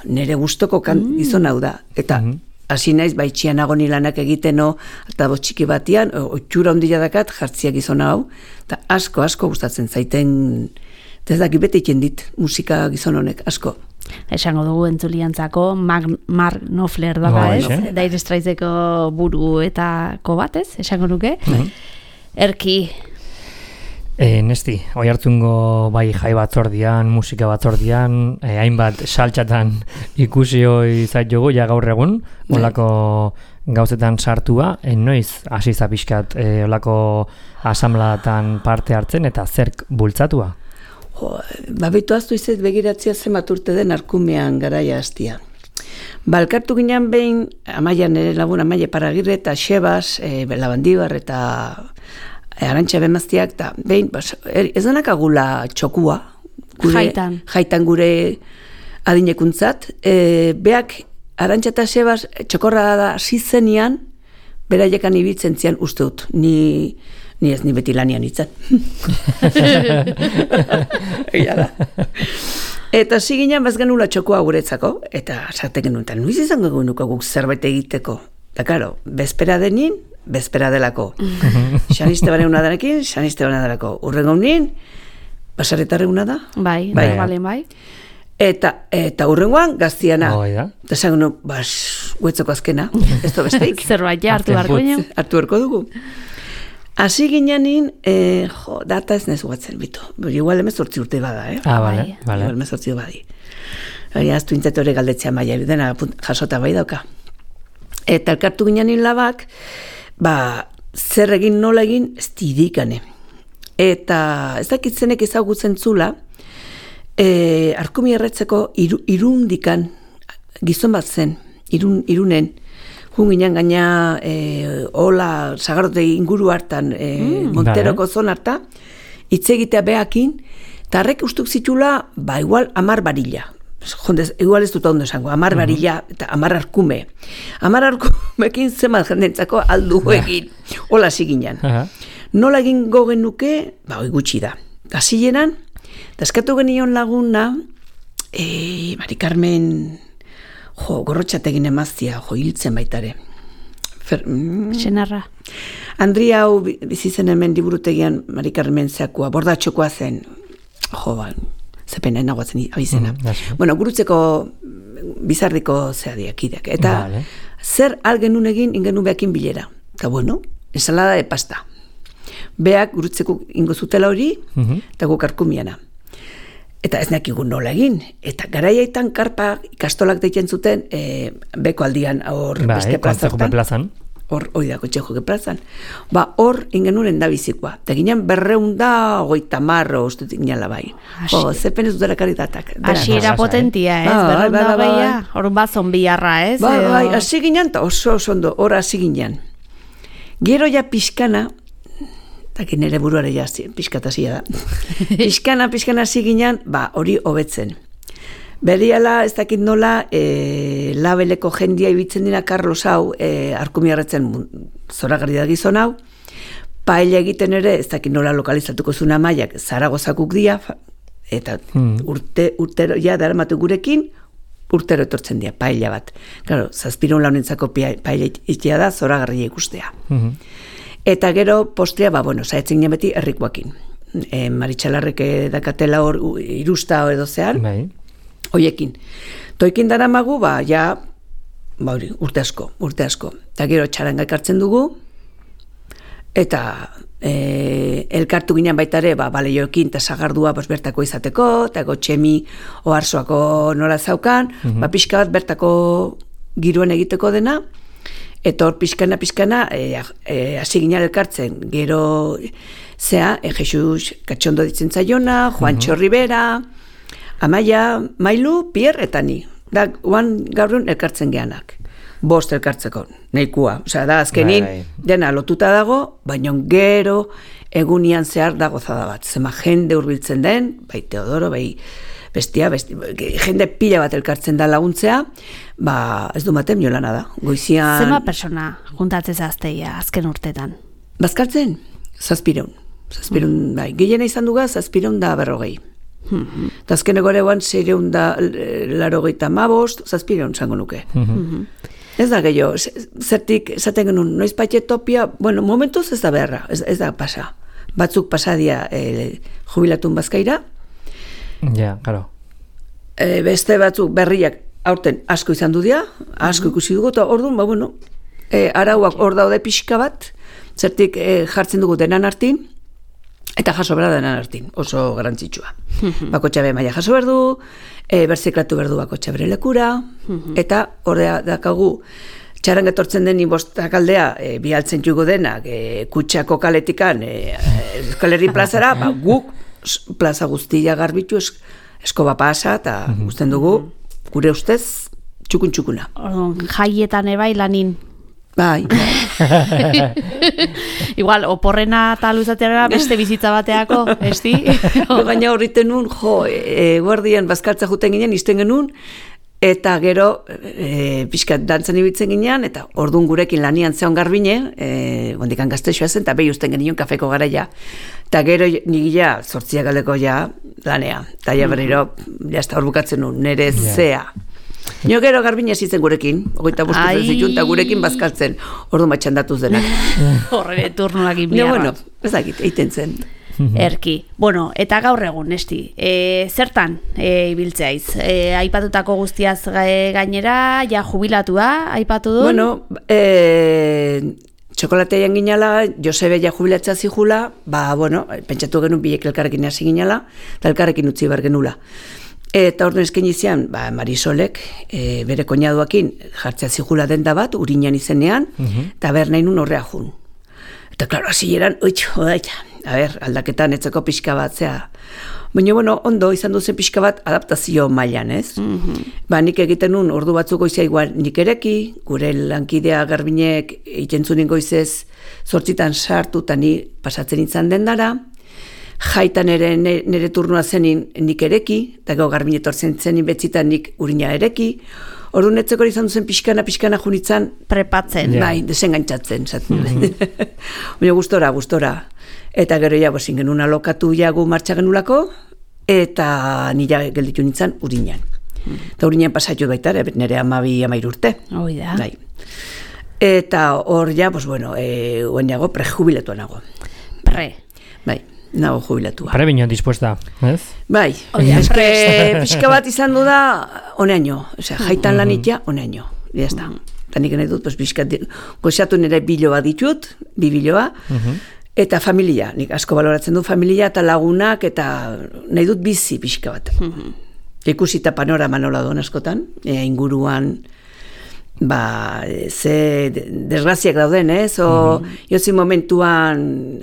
nire gustoko gizon hau da. Eta hasi naiz, itxian agoni lanak egiteno, eta txiki batian, otxura ondila dakat jartzia gizon hau, eta asko gustatzen zaiten, eta ez dakit beti iken dit musika gizon honek, asko. Esango dugu entzuliantzako Mark Knopfler dala, ez? Dire Straitseko buru eta bat, ez? Esango nuke. Erki. Nesti, oihartzungo bai jai batzordian, musika batzordian, hainbat saltxatan ikusi hoi zait jogu, ja gaur egun, olako gauzetan sartua, noiz hasi zapiskat olako asamladatan parte hartzen eta zerk bultzatua? Babetu aztu izet begiratzea zemat urte den Arkumean garaia hastia. Balkartu ginen behin, Amaia nire lagun Amaia Paragirre eta Xebas, Labandibar eta Arantxa Bemaztiak, eta behin, ez denak agula txokua, jaitan gure adinekuntzat, beak Arantxa eta Xebas txokorra da zizenian, beraiekan ibiltzen zian uste dut, ni beti lanian itzan. Eta ziginan bazgan nula txokoa guretzako, eta sartek genuen, eta nuiz izango genuko guk zerbait egiteko. Eta karo, bezpera denin, bezpera delako. Xaniste bane una denekin, xaniste bane delako. Urrengo nien, basaretarre una da? Bai. Eta urrengoan gaztiana. Eta esan genuen, guetzoko azkena, ez da besteik. Zerbait hartu beharko dugu. Hasi ginenin, data ez nezu batzen bitu. Igual 18 urte bada, Bale. Igual 18 badi. Aztu intzatore galdetzea maia, dena jasota bai dauka. Eta elkartu ginenin labak, zer egin nola egin, ez didikane. Eta ez dakitzenek ezagutzen zula, Arkumi erretzeko irundikan gizon bat zen, irunen, junginan gaina hola Sagardote inguru hartan, Monteroko zon harta, hitzegitea behakin, eta harrek ustuk zitula, igual 10 barila. Igual ez dut ondo esango, 10 barila eta 10 arkume. 10 arkumekin zemat jendentzako aldu egin, hola ziginan. Nola egin gogen nuke, hoi gutxi da. Hasileran, eta eskatu genion laguna, Mari Carmen... gorrotxategin emaztia, hiltzen baitare. Senarra. Andria hau bizitzen hemen liburutegian Mari Carmen zeakua, bordatxokoa zen. Zepena enagoatzen abizena. Bueno, gurutzeko bizarriko zeadiakideak. Eta zer algenun egin ingenu behakin bilera. Eta ensalada de pasta. Beak gurutzeko ingo zutela hori, eta guk Arkumiana. Eta ez nekigun nola egin. Eta garaiaitan karpa ikastolak deitzen zuten beko aldian hor beste plazartan. hori da kotxe joke plazan. Hor ingenuren da bizikoa. Eta ginen 250 uste ginala bai. Zepen ez dutela karitatak. Hasiera potentia, ez? 250, hor bat zonbiarra, ez? Bai, hasi ginen, eta oso ondo, hor hasi ginen. Gero ja pixkana, eta nire buruare ja pixkatazia da. Pixkana hasi ginen, hori hobetzen. Beriala, ez dakit nola, labeleko jendia ibitzen dira Carlos hau, arkumiarretzen zoragarri da gizon hau, paella egiten ere, ez dakit nola lokalizatuko zuna maiak, Zaragozakuk dia, eta urtero, ja, daramatu gurekin, urtero etortzen dira, paella bat. Claro, 700 launentzako paella itea da, zoragarria ikustea. Eta gero, postrea, saetzen ginen beti herrikoakin. Maritxalarrek dakatela hor, irusta edo zean, hoiekin. Toikin daramagu, urte asko. Eta gero txaranga ekartzen dugu, eta elkartu ginen baita ere, baleioekin eta sagardua bertako izateko, eta gotxemi oharsoako nola zaukan, pixka bat bertako giroen egiteko dena, eta hor pixkana hasi ginen elkartzen, gero zea, Jesus Katxondo ditzen zaiona, Juancho Rivera, Amaia, Mailu, Pierre eta ni. Da, gaurun elkartzen geanak. 5 elkartzeko, nahikoa. Osea, da, azkenin, dena lotuta dago, baina gero egunian zehar da gozada bat. Zema jende hurbiltzen den, bai Teodoro, bai bestia, jende pila bat elkartzen da laguntzea, ez du maten jolana da. Goizian... Zema persona juntatzez azteia azken urtetan? Bazkaltzen, 700. 700, bai. Gehiena izan duga, 750. Eta azkeneko ere guan 685, 700 zango nuke. Ez da gehiago, zertik esaten genuen, noiz paite topia, momentuz ez da beharra, ez da pasa. Batzuk pasadia jubilatun bazkaira. Ja, claro. Beste batzuk berriak aurten asko izan du dira, asko ikusi dugu, eta orduan, arauak hor daude pixka bat, zertik jartzen dugu denan hartin, eta jaso behar denan hartin, oso garantzitsua. Bakotxa be maia jaso behar du, berziklatu behar du bakotxa bere lekura, eta horrea dakagu, txaran getortzen den inbostak aldea, bialtzen jugo denak, kutsako kaletikan, Euskal Herri plazara, guk plaza guztia garbitu, eskoba pasa, eta guztien dugu, gure ustez, txukun-txukuna. Jaietan ebai lanin. Bai. Igual, oporrena eta luzateara beste bizitza bateako, esti? Baina horriten nun, guardian bazkaltza juten ginen, izten genuen, eta gero pixkat dantzan ibiltzen ginean, eta orduan gurekin lanian zeon garbine, gondikan gaztexoa zen, eta behi usten genion kafeko garaia. Eta gero nigila, 8 galeko ja lanea. Eta ja berriro, jazta hor bukatzen nun, nire zea. Nio gero garbina zitzen gurekin, 25 zituen, eta gurekin bazkaltzen, ordu matxandatuz denak. Horre turnuak inbiarra. Ezakit, eiten zen. Erki. Eta gaur egun, esti, zertan ibiltzeaiz? Aipatutako guztiaz gainera, ja jubilatua, aipatu du? Txokolatean ginala, Josebe ja jubilatzea zihula, pentsatu genuen bilek elkarrekin hasi ginala, eta elkarrekin utzi behar genula. Eta orduan esken izian, Marisolek, bere koinaduakin jartzea zigula denda bat, Uriñan izenean, eta nahi nun horrea jun. Eta, klaro, hasi eran, aldaketan etzeko pixka bat, zea. Baina, ondo izan duzen pixka bat adaptazio mailan, ez? Nik egiten nun, ordu batzuk goizea igual nik ereki, gure lankidea garbinek itentzunin goizez 8 sartu, eta ni pasatzen izan dendara, jaitan ere nire turnua zenin nik ereki, eta gau garbine etortzen zenin betzitan nik Urina ereki, orduan etzeko izan duzen pixkana junitzen prepatzen. Bai, desengantzatzen. Baina gustora. Eta gero ja, bozin genuen alokatu jagu martxa genulako, eta nila gelditu nintzen Uriñan. Eta Uriñan pasatu baita, nire 12-13 urte. Oida. Eta hor ja, oen jago, prejubilatuan nago. Bai. Nago jubilatua. Pare bino dispuesta, ez? Bai, eske pixka bat izan du da honeaino, jaitan lanitia honeaino, jazta. Eta nik nahi dut, pixka, goxatu nire biloa ditut, 2 biloa, eta familia, nik asko baloratzen du familia eta lagunak, eta nahi dut bizi pixka bat. Ikusita panorama nola doan askotan, inguruan, ze desgraziak dauden, ez? Jozi momentuan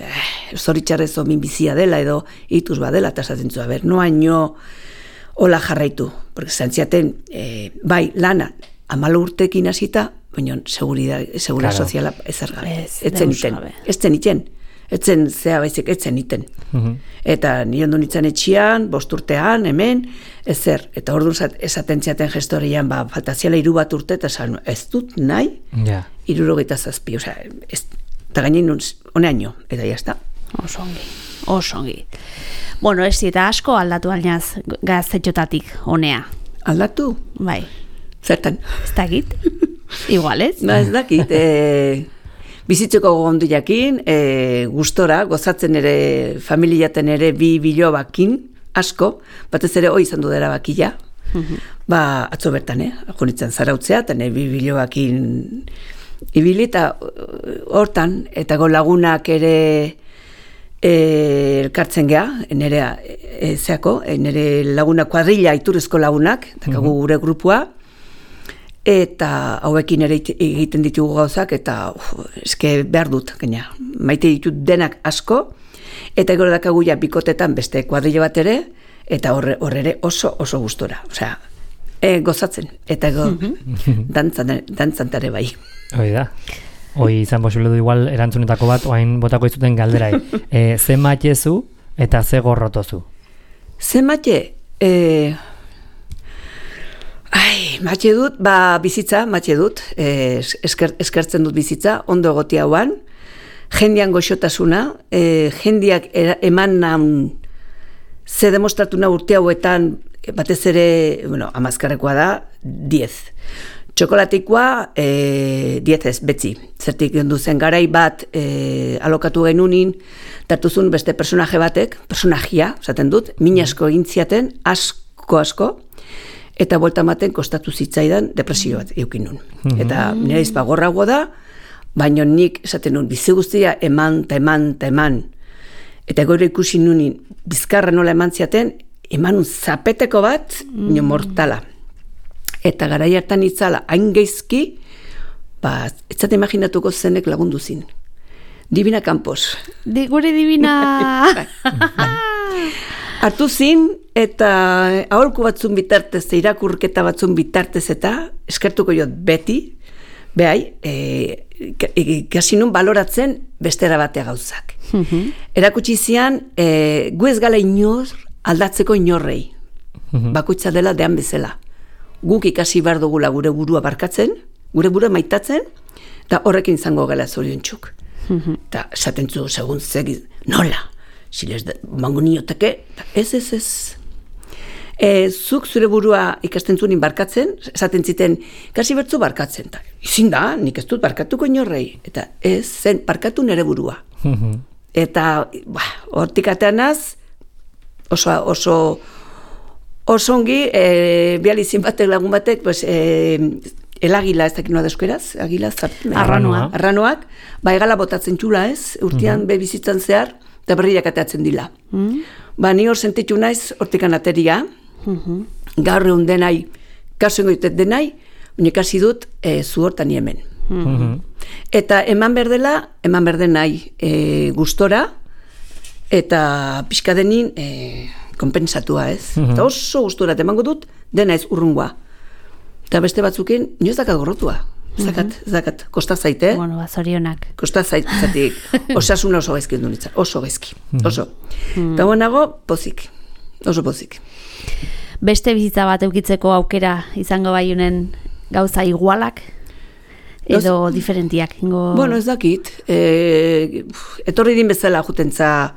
zoritxarrez minbizia dela edo ituz badela, eta esaten zu, noaino hola jarraitu. Porque zantziaten, bai, lana, 14 urtekin hasita, baina seguridad soziala ezargabe. Etzen zea baizik, etzen iten. Eta nire ondu nintzen etxian, 5 urtean, hemen, ezer. Eta orduan esaten ziaten gestorian, faltaziala 3 urte, eta esan, ez dut nahi, 67. Osea, eta gainen honeaino, eta jazta. Oso ongi. Bueno, ez eta asko aldatu alnaz gaztetxotatik, honea. Aldatu? Bai. Zertan? Ez dakit? Igual ez? Ez dakit, bizitzeko gogondu jakin, gustora, gozatzen ere, familiaten ere bi bilobakin, asko, batez ere hoi izan du dara bakila, atzo bertan, junitzen zarautzea, eta bi bilobakin ibili, eta hortan, eta go lagunak ere elkartzen geha, nire laguna kuadrilla, iturrezko lagunak, eta gure grupua, eta hauekin ere egiten ditugu gauzak, eta eske behar dut, gaina, maite ditut denak asko, eta gero dakagu ja bikotetan beste kuadrilla bat ere, eta horre oso gustora, osea, gozatzen, eta dantzantare bai. Hoi da. Hoi izan posible du igual erantzunetako bat, oain botako izuten galderai. Ze matxezu eta ze gorrotozu? Ze matxe? Matxe dut, bizitza, matxe dut, eskertzen dut bizitza, ondo egoti hauan, jendean goxotasuna, jendeak eman ze demostratu na urte hauetan, batez ere, amazkarrekoa da, 10. Txokolateikoa, 10 ez, betzi. Zertik zen garai bat alokatu genunin, tartuzun beste personaje batek, personajia, esaten dut, min asko egin ziaten, asko, eta bolta maten kostatu zitzaidan depresio bat eukin nun. Eta nire izpagorrago da, baina nik esaten nun, bizi guztia eman. Eta gero ikusi nunin, bizkarra nola eman ziaten, emanun zapeteko bat, nio mortala. Eta garai hartan itzala, hain geizki, etzat imaginatuko zenek lagundu zin. Divina Campos. Gure Divina! Hartu zin, eta aholku batzun bitartez, irakurketa batzun bitartez eta eskertuko jot beti, behai, kasi nun baloratzen bestera batea gauzak. Erakutsi zian, gu ez gala inor aldatzeko inorrei. Bakoitza dela dean bezala. Guk ikasi behar dugula gure burua barkatzen, gure burua maitatzen, eta horrekin izango gala zoriontxuk. Eta esaten zu, segun zegiz, nola? Zilez, mango nioteke, ez. Zuk zure burua ikasten zunin barkatzen, esaten ziten, kasi bertzu barkatzen. Izin da, nik ez dut barkatuko inorrei. Eta ez zen, barkatu nere burua. Eta, hortik ateanaz, oso ongi, bializin batek, lagun batek, elagila, ez dakit noa deskueraz, arranoak, egala botatzen txula ez, urtean bebizitzan zehar, eta berriak ateatzen dila. Ni hor sentitu naiz, hortikan ateria, gaur egun denai, kaso ingoitet denai, baina kasi dut zu hortan hemen. Eta eman berdenai gustora, eta pixka denin konpensatua ez. Eta oso gustora emango dut, dena ez urrungoa. Eta beste batzukin, nio ez dakat gorrotua. Ez dakat, kosta zaite. Bueno, zorionak. Kosta zaitetik, osasuna oso gaizki du nintzen, oso gaizki, oso. Eta buenago, pozik, oso pozik. Beste bizitza bat eukitzeko aukera izango baiunen gauza igualak edo diferentiak? Bueno, ez dakit. Etorri din bezala jutentza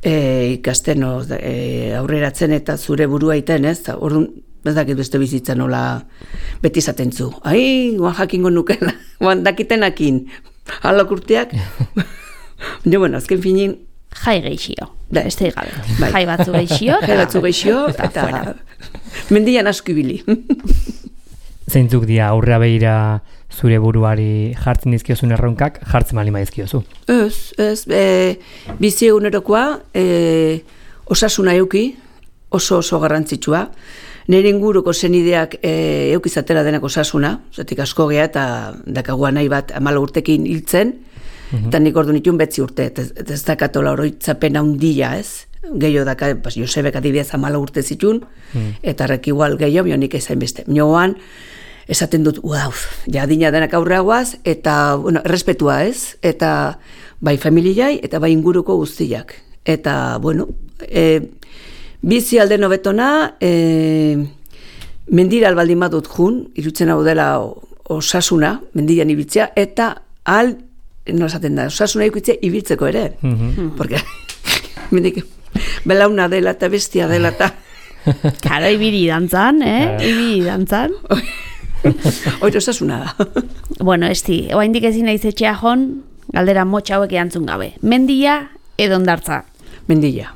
ikasten aurreratzen eta zure burua iten, ez? Orduan, ez dakit beste bizitza nola beti izaten zu. Guan jakingo nukela, guan dakitenakin. Halok urteak. Bueno, azken finin... Jai geixio, beste gabe. Jai batzu geixio, eta mendian asko ibili. Zeintzuk dia aurrea behira zure buruari jartzen dizkiozun erronkak, jartzen malima dizkiozu? Ez, bizi egunerokoa, osasuna euki, oso garrantzitsua, nire inguruko zenideak eukizatera denak osasuna, zatik asko geha eta dakagua nahi bat 14 urtekin hiltzen, eta nik ordu nituen 9 urte, ez dakatola oroitzapen handia, ez? Gehiago daka, Josebek adibidez 14 urte zitun, eta rek igual gehiago, nik ezain beste. Mioan, esaten dut, ja adina denak aurreagoaz, eta, bueno, errespetua ez, eta bai familiai, eta bai inguruko guztiak. Eta, bueno, bizi alde nobetona, mendira albaldin badut jun, irutzen hau dela osasuna, mendian ibiltzea, eta no esaten da, osasuna ikutzea ibiltzeko ere. Porque, mendik, belauna dela eta bestia dela eta... Karo, ibili dantzan, ibili dantzan. Oiro osasuna da. Bueno, oaindik ezin naiz etxea jon, galdera motxa hauek erantzun gabe. Mendia edo Hondartza? Mendia.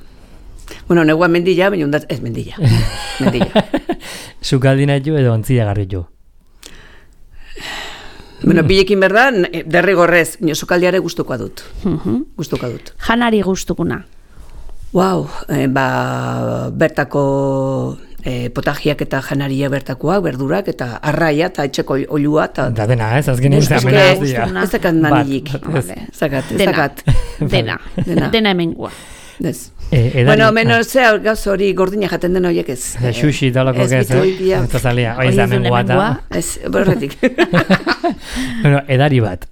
Bueno, negua Mendia, baina Hondartza, ez Mendia. Mendia. Sukaldina jo edo ontzia garri jo? Bueno, bilekin berdan, derrigorrez, sukaldiare gustukoa dut. Gustukoa dut. Janari gustukuna? Bertako potajiak eta janaria bertakoak, berdurak, eta arraia, eta etxeko olua. Da dena, ez? Azken egin zamena. Ez zakat manilik. Zakat. Dena hemengua. Ez. Bueno, menos gauz hori gordina jaten den horiek ez. Xuxi talako ez, eta zalia. Hori da hemengua da. Ez, borretik. Bueno, edari bat.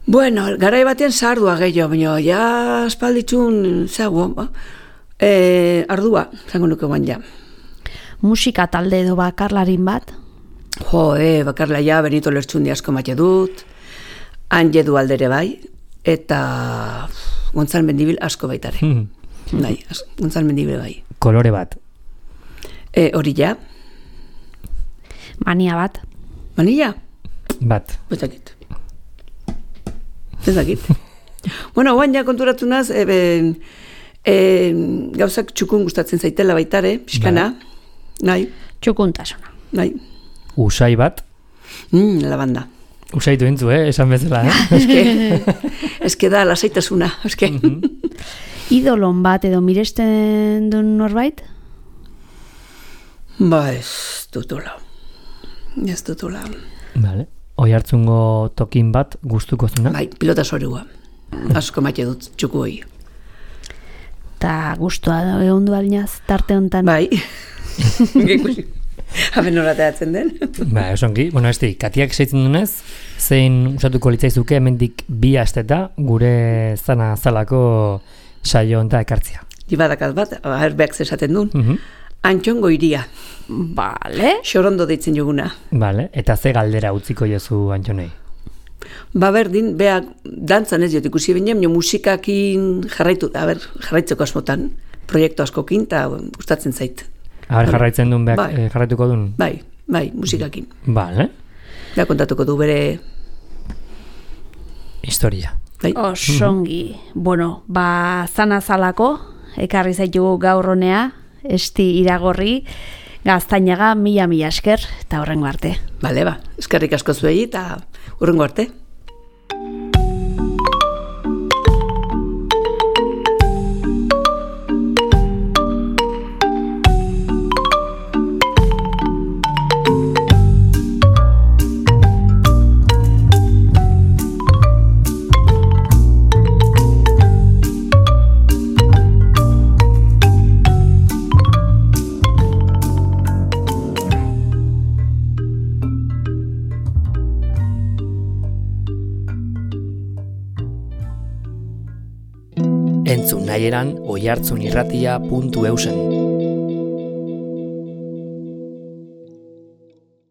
Bueno, garai batean sardua gehiago, baina ja aspalditxun zeago, ardua, zango nuke guan ja. Musika talde edo bakarlarin bat? Bakarla ja, Benito Lertxundi asko mate dut, Anje du aldere bai, eta Gontzal Mendibil asko baitare. Bai, Gontzal Mendibil bai. Kolore bat? Hori ja. Mania bat? Mania? Bat. Ez dakit. Bueno, guan ja konturatu naz, gauzak txukun gustatzen zaitela baitare, pixkana. Nahi. Txukuntasuna. Nahi. Usai bat? Lavanda. Usaitu entzu, esan bezala, Eske da, lasaitasuna, eske. Idolon bat edo miresten duen norbait? Ez dutula. Vale. Oihartzungo tokin bat gustuko zuna? Bai, pilota sorua. Asko maite dut txuku hori. Ta gustua egon du alinaz, tarte honetan? Bai. Haben norateatzen den. Ba, osongi. Bueno, katiak seitzen dunez, zein usatuko litzaizuke hemendik 2 asteta gure zana zalako saio honta ekartzia. Ibadakat bat, herbeak zesaten duen. Antxongo iria. Bale. Xorondo deitzen joguna. Bale, eta ze galdera utziko jozu Antxonei? Berdin, beak dantzan ez jot ikusi binen, musikakin jarraitzeko asmotan, proiektu askokin, eta gustatzen zait. Jarraitzen duen beak jarraituko duen? Bai, musikakin. Bale. Beak kontatuko du bere... Historia. Osongi. Bueno, zana zalako, ekarri zaitu gaur honea, iragorri, Gaztainaga, mila esker, eta hurrengo arte. Bale, eskerrik asko zuei, eta hurrengo arte. Entzun nahieran oihartzunirratia.eusen.